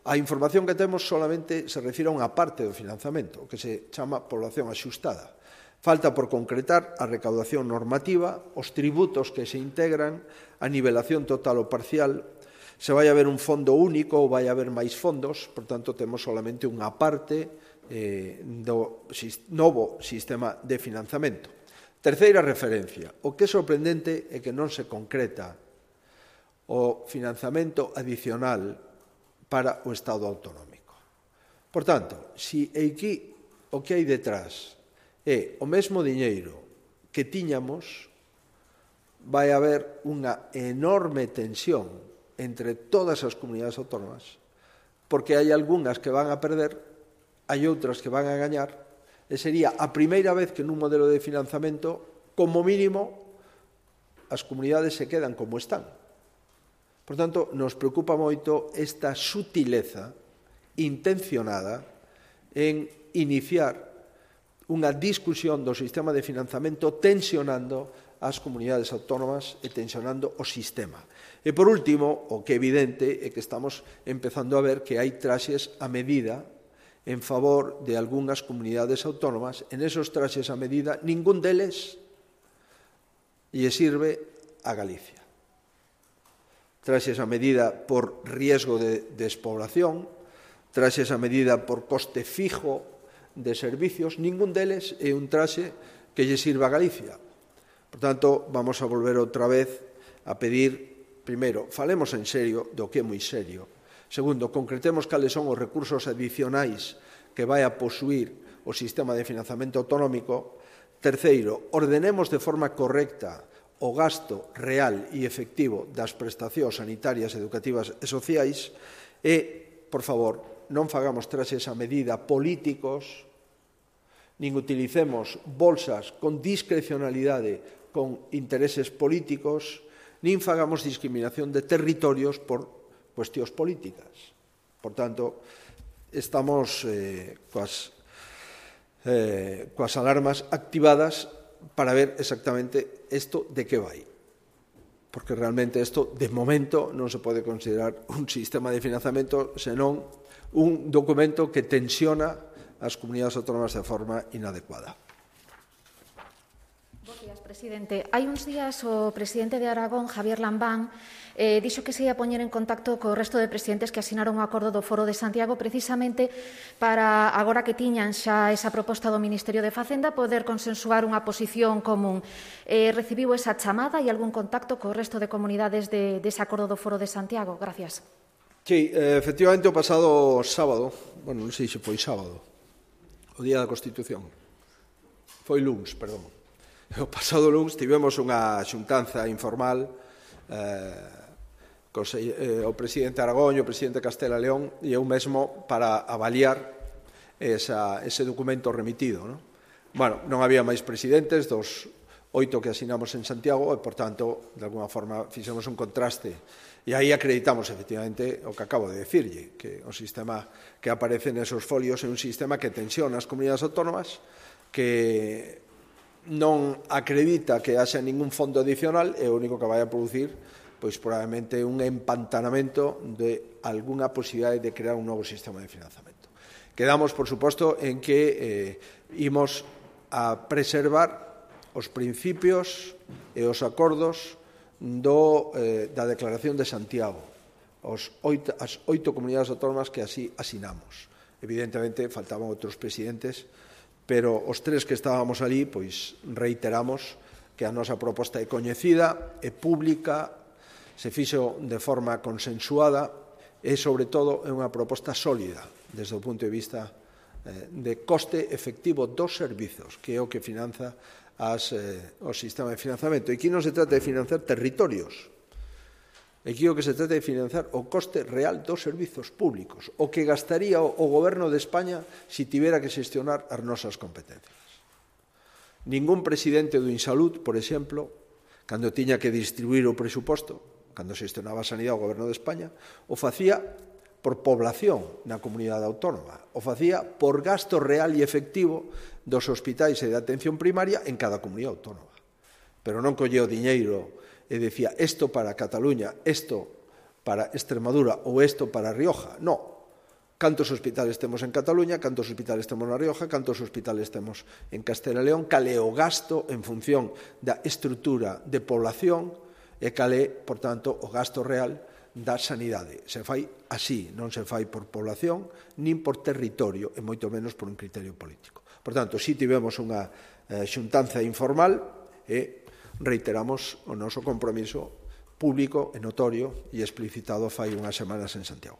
a información que temos solamente se refire a unha parte do financiamento, o que se chama población axustada. Falta por concretar a recaudación normativa, os tributos que se integran, a nivelación total ou parcial, se vai haber un fondo único ou vai haber máis fondos, por tanto, temos solamente unha parte do novo sistema de financiamento. Terceira referencia, o que é sorprendente é que non se concreta o financiamento adicional para o Estado autonómico. Por tanto, se aquí o que hai detrás é o mesmo diñeiro que tiñamos, vai haber unha enorme tensión entre todas as comunidades autónomas, porque hai algunhas que van a perder, hai outras que van a gañar, e sería a primeira vez que nun modelo de financiamento, como mínimo, as comunidades se quedan como están. Por tanto, nos preocupa moito esta sutileza intencionada en iniciar unha discusión do sistema de financiamento tensionando as comunidades autónomas e tensionando o sistema. E, por último, o que é evidente é que estamos empezando a ver que hai traxes a medida en favor de algunhas comunidades autónomas. En esos traxes a medida, ningún deles lle sirve a Galicia. Traxes a medida por riesgo de despoblación, traxes a medida por coste fijo de servicios, ningún deles é un traxe que lle sirva a Galicia. Por tanto, vamos a volver outra vez a pedir, primeiro, falemos en serio do que é moi serio. Segundo, concretemos cales son os recursos adicionais que vai a posuir o sistema de financiamento autonómico. Terceiro, ordenemos de forma correcta o gasto real e efectivo das prestacións sanitarias, educativas e sociais e, por favor, non fagamos traxes a medida políticos nin utilicemos bolsas con discrecionalidade con intereses políticos, nin fagamos discriminación de territorios por cuestións políticas. Por tanto, estamos coas alarmas activadas para ver exactamente isto de que vai. Porque realmente isto, de momento, non se pode considerar un sistema de financiamento, senón un documento que tensiona as comunidades autónomas de forma inadecuada. Bos días, presidente. Hai uns días o presidente de Aragón, Javier Lambán, dixo que se ia poñer en contacto co resto de presidentes que asinaron o acordo do Foro de Santiago precisamente para, agora que tiñan xa esa proposta do Ministerio de Facenda, poder consensuar unha posición común. Recibiu esa chamada e algún contacto co resto de comunidades dese acordo do Foro de Santiago? Gracias. Sí, efectivamente, o pasado sábado, bueno, non sei se foi sábado, o Día da Constitución, foi luns, perdón. O pasado luns tivemos unha xuntanza informal o presidente Aragón e o presidente Castela León e eu mesmo para avaliar ese documento remitido. Bueno, non había máis presidentes dos 8 que asinamos en Santiago e, por tanto, de alguna forma fixemos un contraste. E aí acreditamos, efectivamente, o que acabo de decirlle, que o sistema que aparece nesos folios é un sistema que tensiona as comunidades autónomas, que non acredita que haxa ningún fondo adicional e o único que vai a producir, pois probablemente un empantanamento de algunha posibilidade de crear un novo sistema de financiamento. Quedamos, por suposto, en que imos a preservar os principios e os acordos da Declaración de Santiago, as 8 comunidades autónomas que así asinamos. Evidentemente, faltaban outros presidentes, pero os 3 que estábamos ali, pois reiteramos que a nosa proposta é coñecida, é pública, se fixo de forma consensuada e, sobre todo, é unha proposta sólida desde o punto de vista de coste efectivo dos servizos, que é o que finanza o sistema de financiamento. E aquí non se trata de financiar territorios, aquí o que se trata de financiar o coste real dos servizos públicos, o que gastaría o Goberno de España se tivera que xestionar as nosas competencias. Ningún presidente do Insalud, por exemplo, cando tiña que distribuir o presuposto, cando xestionaba a sanidade o Goberno de España, o facía por población na comunidade autónoma, o facía por gasto real e efectivo dos hospitais e de atención primaria en cada comunidade autónoma. Pero non colleu diñeiro e decía isto para Cataluña, isto para Extremadura ou isto para Rioja. Non. Cantos hospitales temos en Cataluña, cantos hospitales temos na Rioja, cantos hospitales temos en Castela e León, cal é o gasto en función da estrutura de población e cal é, por tanto, o gasto real da sanidade. Se fai así, non se fai por población, nin por territorio, e moito menos por un criterio político. Por tanto, si tivemos unha xuntanza informal e reiteramos o noso compromiso público e notorio e explicitado fai unhas semanas en Santiago.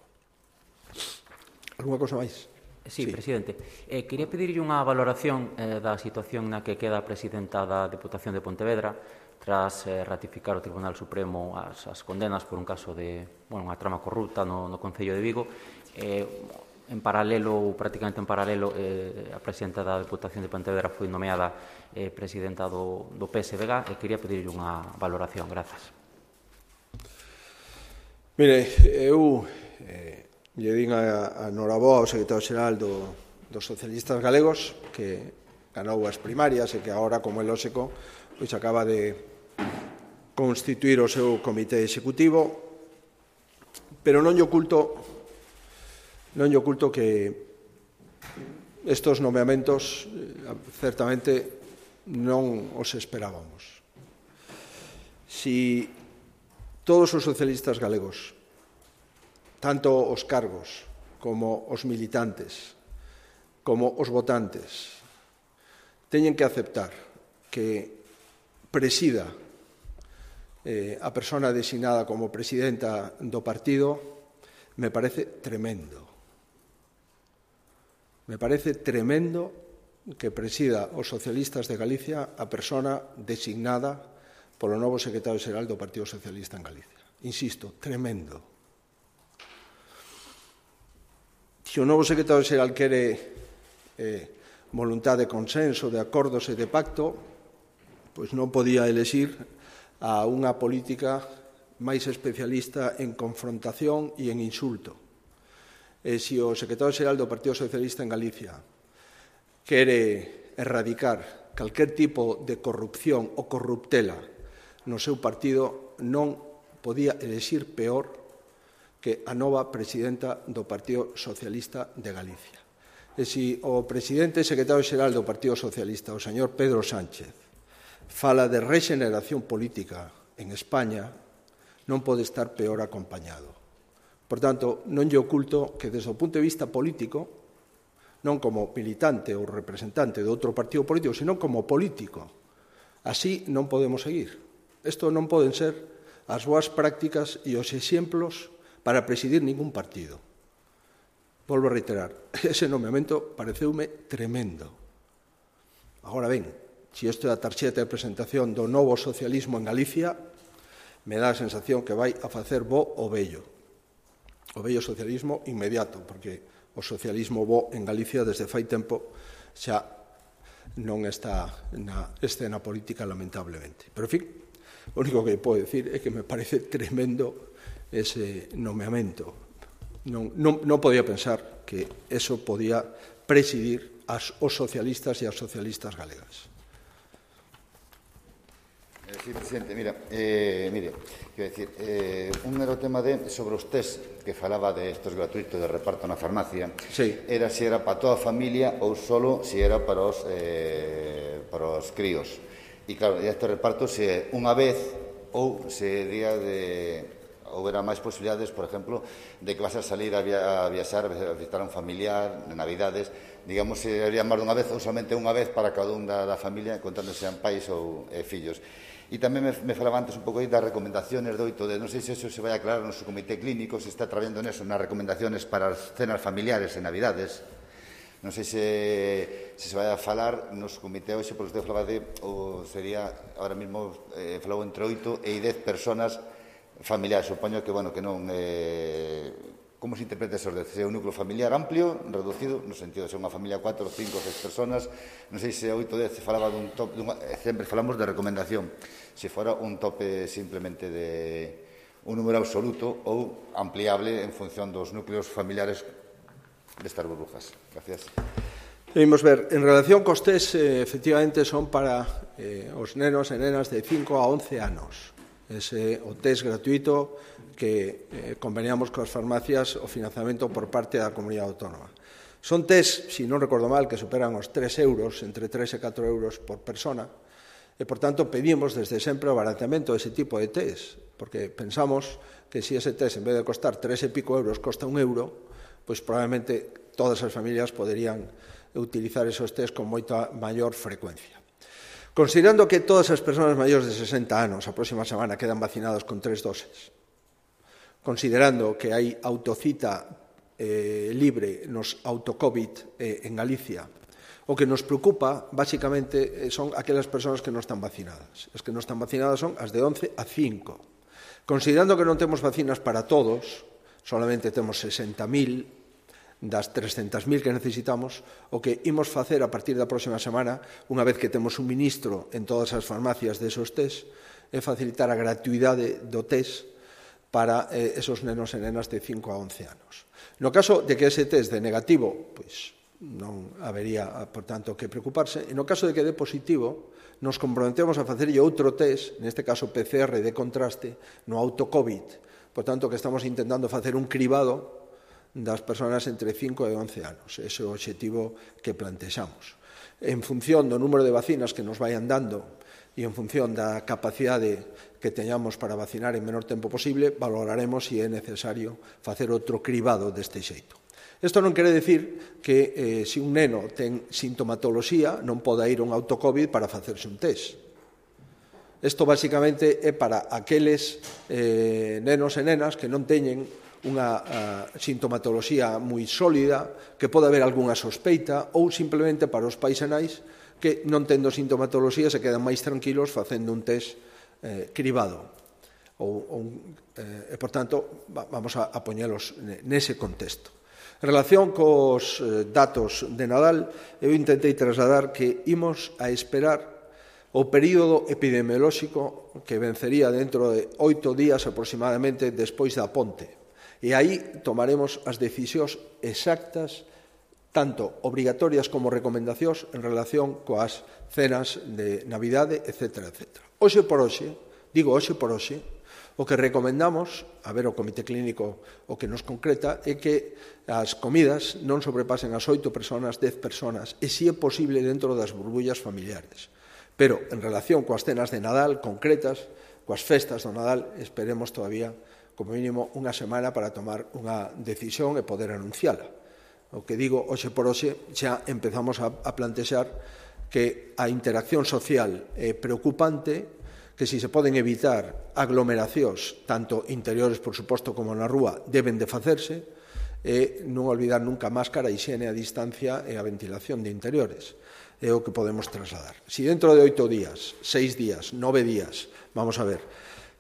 Alguna cosa máis? Sí, presidente. Quería pedirlle unha valoración da situación na que queda a presidenta da Deputación de Pontevedra tras ratificar o Tribunal Supremo as condenas por un caso de unha trama corrupta no Concello de Vigo. En paralelo, ou prácticamente en paralelo, a presidenta da Deputación de Pontevedra foi nomeada presidenta do PSDG e quería pedirlle unha valoración. Grazas. Mire, eu lle din a Noraboa, o secretario xeral dos socialistas galegos, que ganou as primarias e que agora, como é lóxico, pois acaba de constituir o seu comité executivo, pero non lle oculto que estes nomeamentos certamente non os esperábamos. Si todos os socialistas galegos, tanto os cargos como os militantes, como os votantes, teñen que aceptar que presida a persona designada como presidenta do partido, me parece tremendo. Me parece tremendo que presida os socialistas de Galicia a persona designada polo novo secretario xeral do Partido Socialista en Galicia. Insisto, tremendo. Se o novo secretario xeral quere voluntad de consenso, de acordos e de pacto, pois non podía elexir a unha política máis especialista en confrontación e en insulto. E se o secretario xeral do Partido Socialista en Galicia quere erradicar calquer tipo de corrupción ou corruptela no seu partido, non podía elexir peor que a nova presidenta do Partido Socialista de Galicia. E se o presidente e secretario xeral do Partido Socialista, o señor Pedro Sánchez, fala de rexeneración política en España, non pode estar peor acompañado. Por tanto, non lle oculto que desde o punto de vista político, non como militante ou representante de outro partido político, sino como político, así non podemos seguir. Isto non poden ser as boas prácticas e os exemplos para presidir ningún partido. Volvo a reiterar, ese nomeamento pareceume tremendo. Agora ben, se isto é a tarxeta de presentación do novo socialismo en Galicia, me dá a sensación que vai a facer bo o vello socialismo inmediato, porque o socialismo bo en Galicia desde fai tempo xa non está na escena política, lamentablemente. Pero, en fin, o único que podo decir é que me parece tremendo ese nomeamento. Non podía pensar que eso podía presidir os socialistas e as socialistas galegas. Sí, presidente, mire, quero dicir, un mero tema sobre os test que falaba de estos gratuitos de reparto na farmacia, sí. Era se era para toda a familia ou solo se era para os críos. E claro, este reparto se é unha vez ou se día de... houbera máis posibilidades, por exemplo, de que vas a salir a viaxar, a visitar a un familiar, en Navidades, digamos, se haría máis dunha vez ou somente unha vez para cada un da familia, contando sean pais ou fillos. E tamén me falaba antes un pouco aí das recomendaciones do 8 non sei se eso se vai aclarar no seu comité clínico, se está traballando neso, nas recomendaciones para as cenas familiares en Navidades. Non sei se vai a falar nos comité hoxe, porque usted falaba ou sería, ahora mesmo falou entre 8 e 10 personas familiares, supoño que, bueno, que non... como se interpreta esos 10? Se é un núcleo familiar amplio, reducido, no sentido de ser unha familia 4, 5, 6 personas, non sei se 8 ou 10 se falaba dun top, sempre falamos de recomendación, se fora un tope simplemente de un número absoluto ou ampliable en función dos núcleos familiares destas burbujas. Gracias. Vimos ver, en relación cos test, efectivamente son para os nenos e nenas de 5 a 11 anos. Ese o test gratuito que conveniamos coas farmacias o financiamento por parte da comunidade autónoma. Son test, se non recordo mal, que superan os 3 euros, entre 3 e 4 euros por persona, e, por tanto, pedimos desde sempre o baratamento dese tipo de test, porque pensamos que se ese test, en vez de costar 3 e pico euros, costa 1 euro, pois probablemente todas as familias poderían utilizar esos test con moita maior frecuencia. Considerando que todas as persoas maiores de 60 anos a próxima semana quedan vacinadas con 3 doses, considerando que hai autocita libre nos autocovid en Galicia, o que nos preocupa, basicamente, son aquelas persoas que non están vacinadas. As que non están vacinadas son as de 11 a 5. Considerando que non temos vacinas para todos, solamente temos 60.000 das 300.000 que necesitamos, o que imos facer a partir da próxima semana, unha vez que temos un ministro en todas as farmacias desos test, é facilitar a gratuidade do test para esos nenos e nenas de 5 a 11 anos. No caso de que ese test de negativo, pois non habería, por tanto, que preocuparse. E no caso de que dé positivo, nos comprometemos a facerlle outro test, neste caso PCR de contraste, no autocovid. Por tanto, que estamos intentando facer un cribado das persoas entre 5 e 11 anos. Ese é o obxectivo que plantexamos. En función do número de vacinas que nos vayan dando e en función da capacidade que teñamos para vacinar en menor tempo posible, valoraremos se é necesario facer outro cribado deste xeito. Isto non quere dicir que se un neno ten sintomatoloxía non poda ir a un autocovid para facerse un test. Isto basicamente é para aqueles nenos e nenas que non teñen unha sintomatoloxía moi sólida, que pode haber algunha sospeita, ou simplemente para os pais e nais que non tendo sintomatoloxía se quedan máis tranquilos facendo un test cribado. E, por tanto, vamos a poñelos nese contexto. En relación cos datos de Nadal, eu intentei trasladar que imos a esperar o período epidemiolóxico que vencería dentro de 8 días aproximadamente despois da ponte. E aí tomaremos as decisións exactas, tanto obrigatorias como recomendacións en relación coas cenas de Navidade, etc. Hoxe por hoxe, digo hoxe por hoxe, o que recomendamos, a ver o Comité Clínico o que nos concreta, é que as comidas non sobrepasen as 8 personas, 10 personas, e si é posible dentro das burbullas familiares. Pero, en relación coas cenas de Nadal concretas, coas festas do Nadal, esperemos todavía, como mínimo, unha semana para tomar unha decisión e poder anunciala. O que digo, hoxe por hoxe, xa empezamos a plantexar que a interacción social é preocupante, que si se poden evitar aglomeracións, tanto interiores, por suposto, como na rúa, deben de facerse, e non olvidar nunca a máscara, a higiene, a distancia e a ventilación de interiores. É o que podemos trasladar. Si dentro de 8 días, 6 días, 9 días, vamos a ver,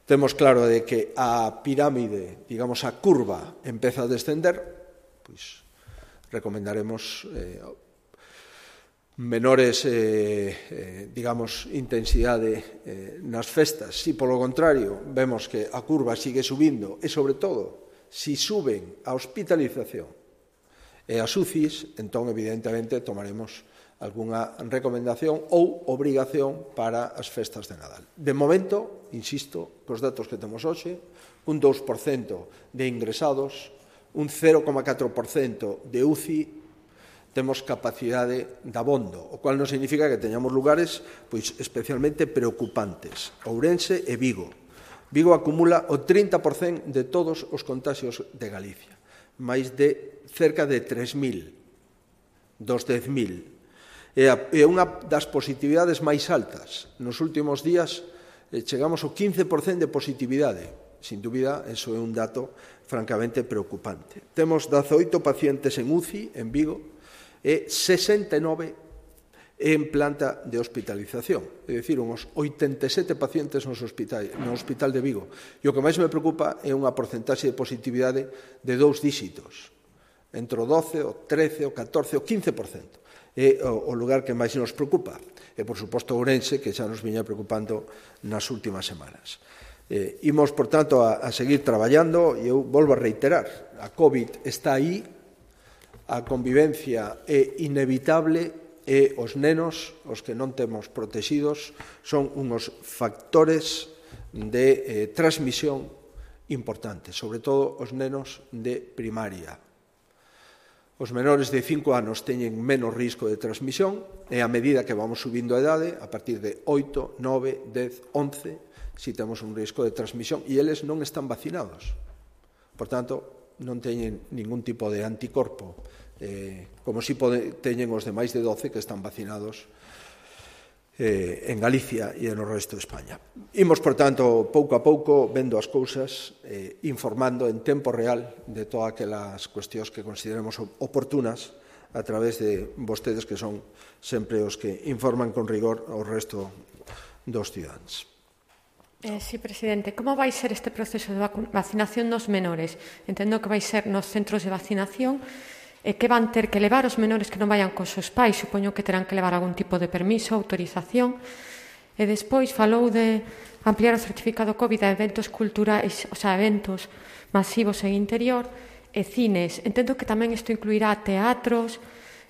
temos claro de que a pirámide, digamos, a curva empeza a descender, pois recomendaremos menores, digamos, intensidade nas festas. Si, polo contrario, vemos que a curva sigue subindo e, sobre todo, si suben a hospitalización e as UCIs, entón, evidentemente, tomaremos algunha recomendación ou obrigación para as festas de Nadal. De momento, insisto, cos datos que temos hoxe, un 2% de ingresados, un 0,4% de UCI, temos capacidade de abondo, o cual non significa que teñamos lugares pois especialmente preocupantes. Ourense e Vigo. Vigo acumula o 30% de todos os contagios de Galicia, máis de cerca de 3.000 dos 10.000. É unha das positividades máis altas. Nos últimos días chegamos ao 15% de positividade. Sin dúbida, eso é un dato francamente preocupante. Temos 18 pacientes en UCI, en Vigo, e 69 en planta de hospitalización. É dicir, uns 87 pacientes no hospital de Vigo. E o que máis me preocupa é unha porcentaxe de positividade de 2 dígitos. Entre o 12, o 13, o 14, o 15%. É o lugar que máis nos preocupa. E, por suposto, Ourense, que xa nos viña preocupando nas últimas semanas. Imos, por tanto, a seguir traballando, e eu volvo a reiterar, a COVID está aí, a convivencia é inevitable, e os nenos, os que non temos protegidos, son uns factores de transmisión importantes, sobre todo os nenos de primaria. Os menores de 5 anos teñen menos risco de transmisión, e a medida que vamos subindo a idade, a partir de 8, 9, 10, 11, si temos un risco de transmisión, e eles non están vacinados. Por tanto, non teñen ningún tipo de anticorpo, como si teñen os de máis de 12 que están vacinados en Galicia e no resto de España. Imos, por tanto, pouco a pouco, vendo as cousas, informando en tempo real de todas aquelas cuestións que consideremos oportunas a través de vostedes, que son sempre os que informan con rigor ao resto dos cidadáns. Sí, presidente. Como vai ser este proceso de vacinación dos menores? Entendo que vai ser nos centros de vacinación, que van ter que levar os menores que non vayan cos seus pais, supoño que terán que levar algún tipo de permiso, autorización, e despois falou de ampliar o certificado COVID a eventos culturais, o sea, eventos masivos en interior e cines. Entendo que tamén isto incluirá teatros,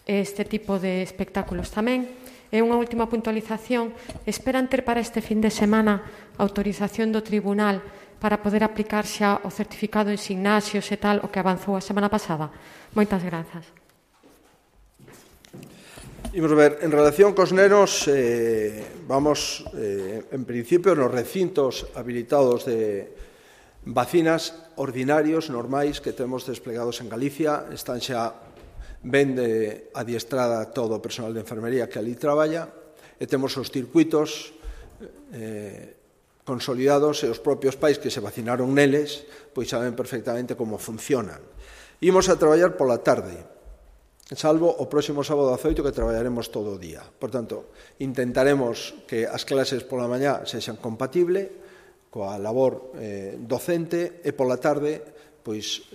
este tipo de espectáculos tamén. E unha última puntualización, esperan ter para este fin de semana autorización do tribunal para poder aplicar xa o certificado en gimnasios e tal, o que avanzou a semana pasada? Moitas grazas. Imos ver, en relación cos nenos, vamos, en principio, nos recintos habilitados de vacinas ordinarios, normais, que temos desplegados en Galicia, están xa ben adiestrada todo o personal de enfermería que ali traballa, e temos os circuitos consolidados, e os propios pais que se vacinaron neles pois saben perfectamente como funcionan. Imos a traballar pola tarde, salvo o próximo sábado 18, que traballaremos todo o día. Por tanto, intentaremos que as clases pola mañá sexan compatibles coa labor docente, e pola tarde pois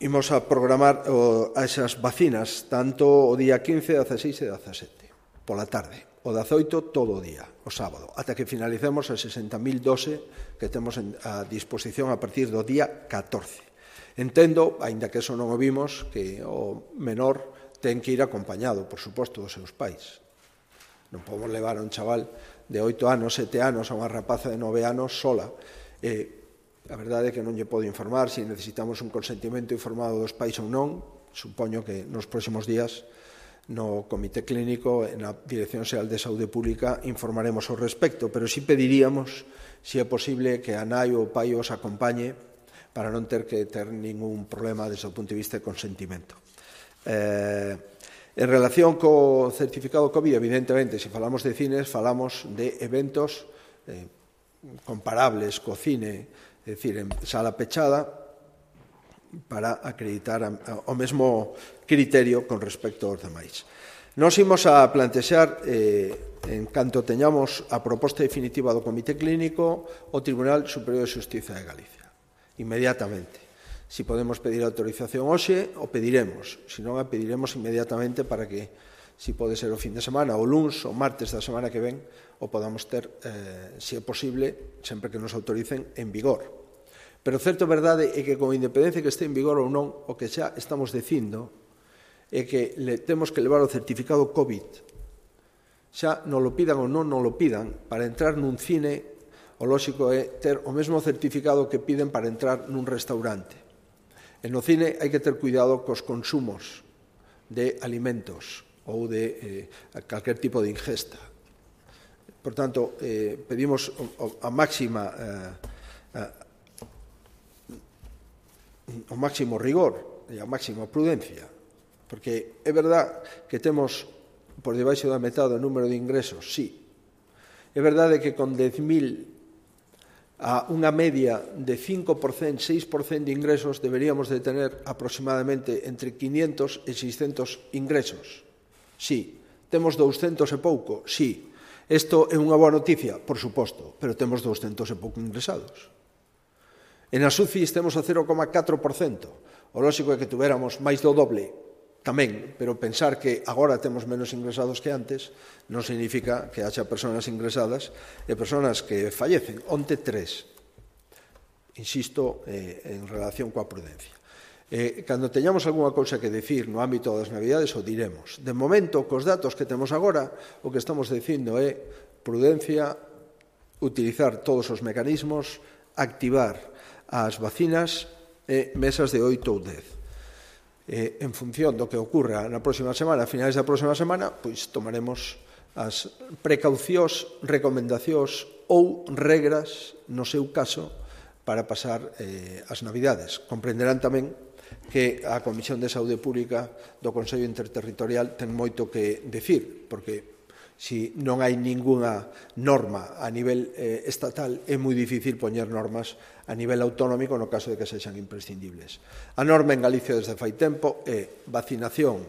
imos a programar esas vacinas tanto o día 15, 16 e 17 pola tarde, o 18 todo o día, o sábado, ata que finalicemos as 60.000 doses que temos a disposición a partir do día 14. Entendo, aínda que eso non o vimos, que o menor ten que ir acompañado, por suposto, dos seus pais. Non podemos levar a un chaval de 8 anos, 7 anos, a unha rapaza de 9 anos sola. A verdade é que non lle podo informar se necesitamos un consentimento informado dos pais ou non. Supoño que nos próximos días no Comité Clínico e na Dirección Xeral de Saúde Pública informaremos ao respecto, pero sí pediríamos se é posible que a nai ou o pai os acompañe para non ter que ter ningún problema desde o punto de vista de consentimento. En relación co certificado COVID, evidentemente, se falamos de cines, falamos de eventos comparables co cine, é dicir, en sala pechada, para acreditar o mesmo criterio con respecto aos demais. Nos imos a plantexar, en canto teñamos a proposta definitiva do Comité Clínico, o Tribunal Superior de Xustiza de Galicia, inmediatamente. Se podemos pedir autorización hoxe, o pediremos. Se non, a pediremos inmediatamente para que, se pode ser o fin de semana, o luns, o martes da semana que ven, o podamos ter, se é posible, sempre que nos autoricen, en vigor. Pero certo verdade é que con independencia que este en vigor ou non, o que xa estamos dicindo é que temos que levar o certificado COVID. Xa non lo pidan ou non lo pidan, para entrar nun cine, o lóxico é ter o mesmo certificado que piden para entrar nun restaurante. E no cine hai que ter cuidado cos consumos de alimentos ou de calquer tipo de ingesta. Por tanto, pedimos a máximo rigor e a máxima prudencia, porque é verdad que temos por debaixo da metade o número de ingresos, sí. É verdade que con 10.000 a unha media de 5%, 6% de ingresos deberíamos de tener aproximadamente entre 500 e 600 ingresos. Sí. Temos 200 e pouco? Sí. Isto é unha boa noticia? Por suposto, pero temos 200 e pouco ingresados. E nas UCIs temos o 0,4%. O lóxico é que tuveramos máis do doble tamén, pero pensar que agora temos menos ingresados que antes non significa que haxa persoas ingresadas e persoas que fallecen. Onte 3. Insisto, en relación coa prudencia. Cando teñamos algunha cousa que decir no ámbito das Navidades, o diremos. De momento, cos datos que temos agora, o que estamos dicindo é prudencia, utilizar todos os mecanismos, activar as vacinas e mesas de 8 ou 10. En función do que ocurra na próxima semana, a finais da próxima semana, pois tomaremos as precaucións, recomendacións ou regras, no seu caso, para pasar as Navidades. Comprenderán tamén que a Comisión de Saúde Pública do Consello Interterritorial ten moito que decir, porque se non hai ningunha norma a nivel estatal, é moi difícil poñer normas a nivel autonómico no caso de que sexan imprescindibles. A norma en Galicia desde fai tempo é vacinación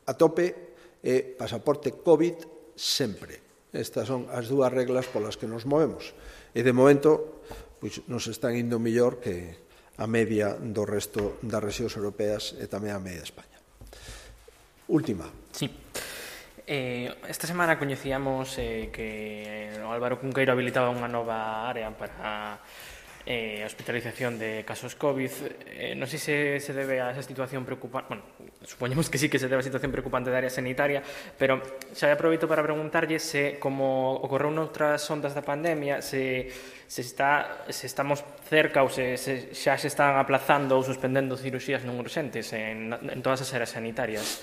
a tope e pasaporte COVID sempre. Estas son as dúas reglas polas que nos movemos. E de momento pois nos están indo mellor que a media do resto das rexións europeas e tamén a media de España. Última. Sí. Esta semana coñecíamos que o Álvaro Cunqueiro habilitaba unha nova área para a hospitalización de casos COVID. Non sei se debe a esa situación preocupante, bueno, supoñemos que sí que se debe a situación preocupante da área sanitaria, pero xa aproveito para preguntarlle se, como ocorreu noutras ondas da pandemia, se estamos cerca ou se xa se están aplazando ou suspendendo cirurxías non urxentes en todas as áreas sanitarias.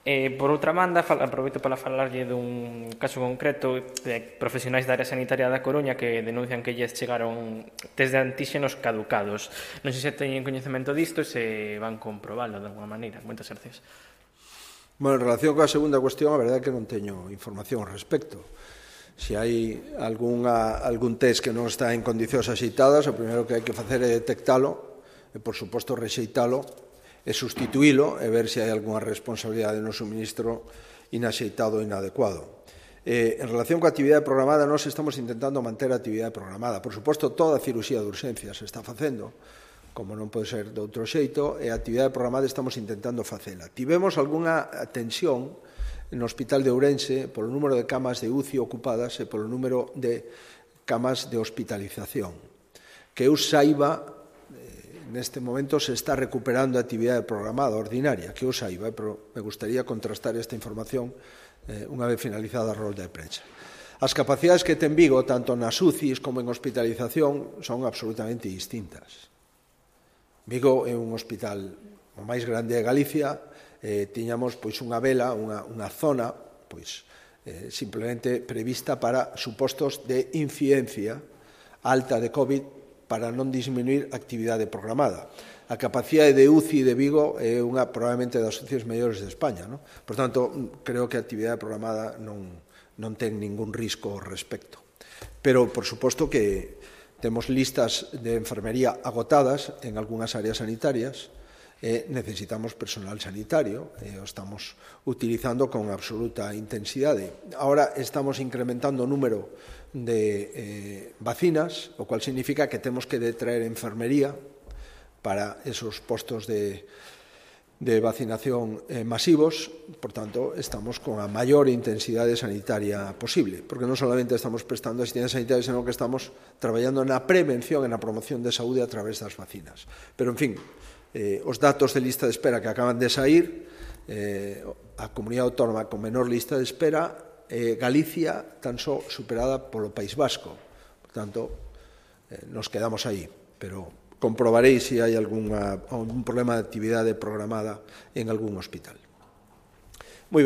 Por outra banda, aproveito para falarlle dun caso concreto de profesionais da área sanitaria da Coruña que denuncian que lles chegaron test de antíxenos caducados. Non sei se teñen coñecemento disto e se van comprobalo de alguma maneira. Moitas gracias. Bueno, en relación coa segunda cuestión, a verdade é que non teño información ao respecto. Se hai algún test que non está en condicións axeitadas, o primeiro que hai que facer é detectalo e, por suposto, rexeitalo e sustituílo e ver se hai algunha responsabilidade no suministro inaxeitado ou inadecuado. En relación coa actividade programada, nós estamos intentando manter a actividade programada. Por suposto, toda a cirurxía de urxencia se está facendo como non pode ser de outro xeito, e a actividade programada estamos intentando facela. Tivemos algunha tensión no Hospital de Ourense polo número de camas de UCI ocupadas e polo número de camas de hospitalización. Que eu saiba, neste momento se está recuperando a actividade programada ordinaria, que eu saiba, pero me gustaría contrastar esta información unha vez finalizada a rolda de prensa. As capacidades que ten Vigo, tanto nas UCIs como en hospitalización, son absolutamente distintas. Vigo é un hospital o máis grande de Galicia, tiñamos unha vela, unha zona simplemente prevista para supostos de incidencia alta de COVID para non disminuir a actividade programada. A capacidade de UCI de Vigo é unha probablemente das UCIs mellores de España. Por tanto, creo que a actividade programada non ten ningún risco ao respecto. Pero, por suposto, que temos listas de enfermería agotadas en algunhas áreas sanitarias e necesitamos personal sanitario e o estamos utilizando con absoluta intensidade. Ahora estamos incrementando o número de vacinas, o cual significa que temos que detraer enfermería para esos postos de vacinación masivos. Por tanto, estamos con a maior intensidade sanitaria posible, porque non solamente estamos prestando asistencia sanitaria, sino que estamos traballando na prevención e na promoción de saúde a través das vacinas. Pero, en fin, os datos de lista de espera que acaban de sair, a comunidade autónoma con menor lista de espera, Galicia tan só superada polo País Vasco. Por tanto, nos quedamos aí, pero comprobarei se hai algún problema de actividade programada en algún hospital.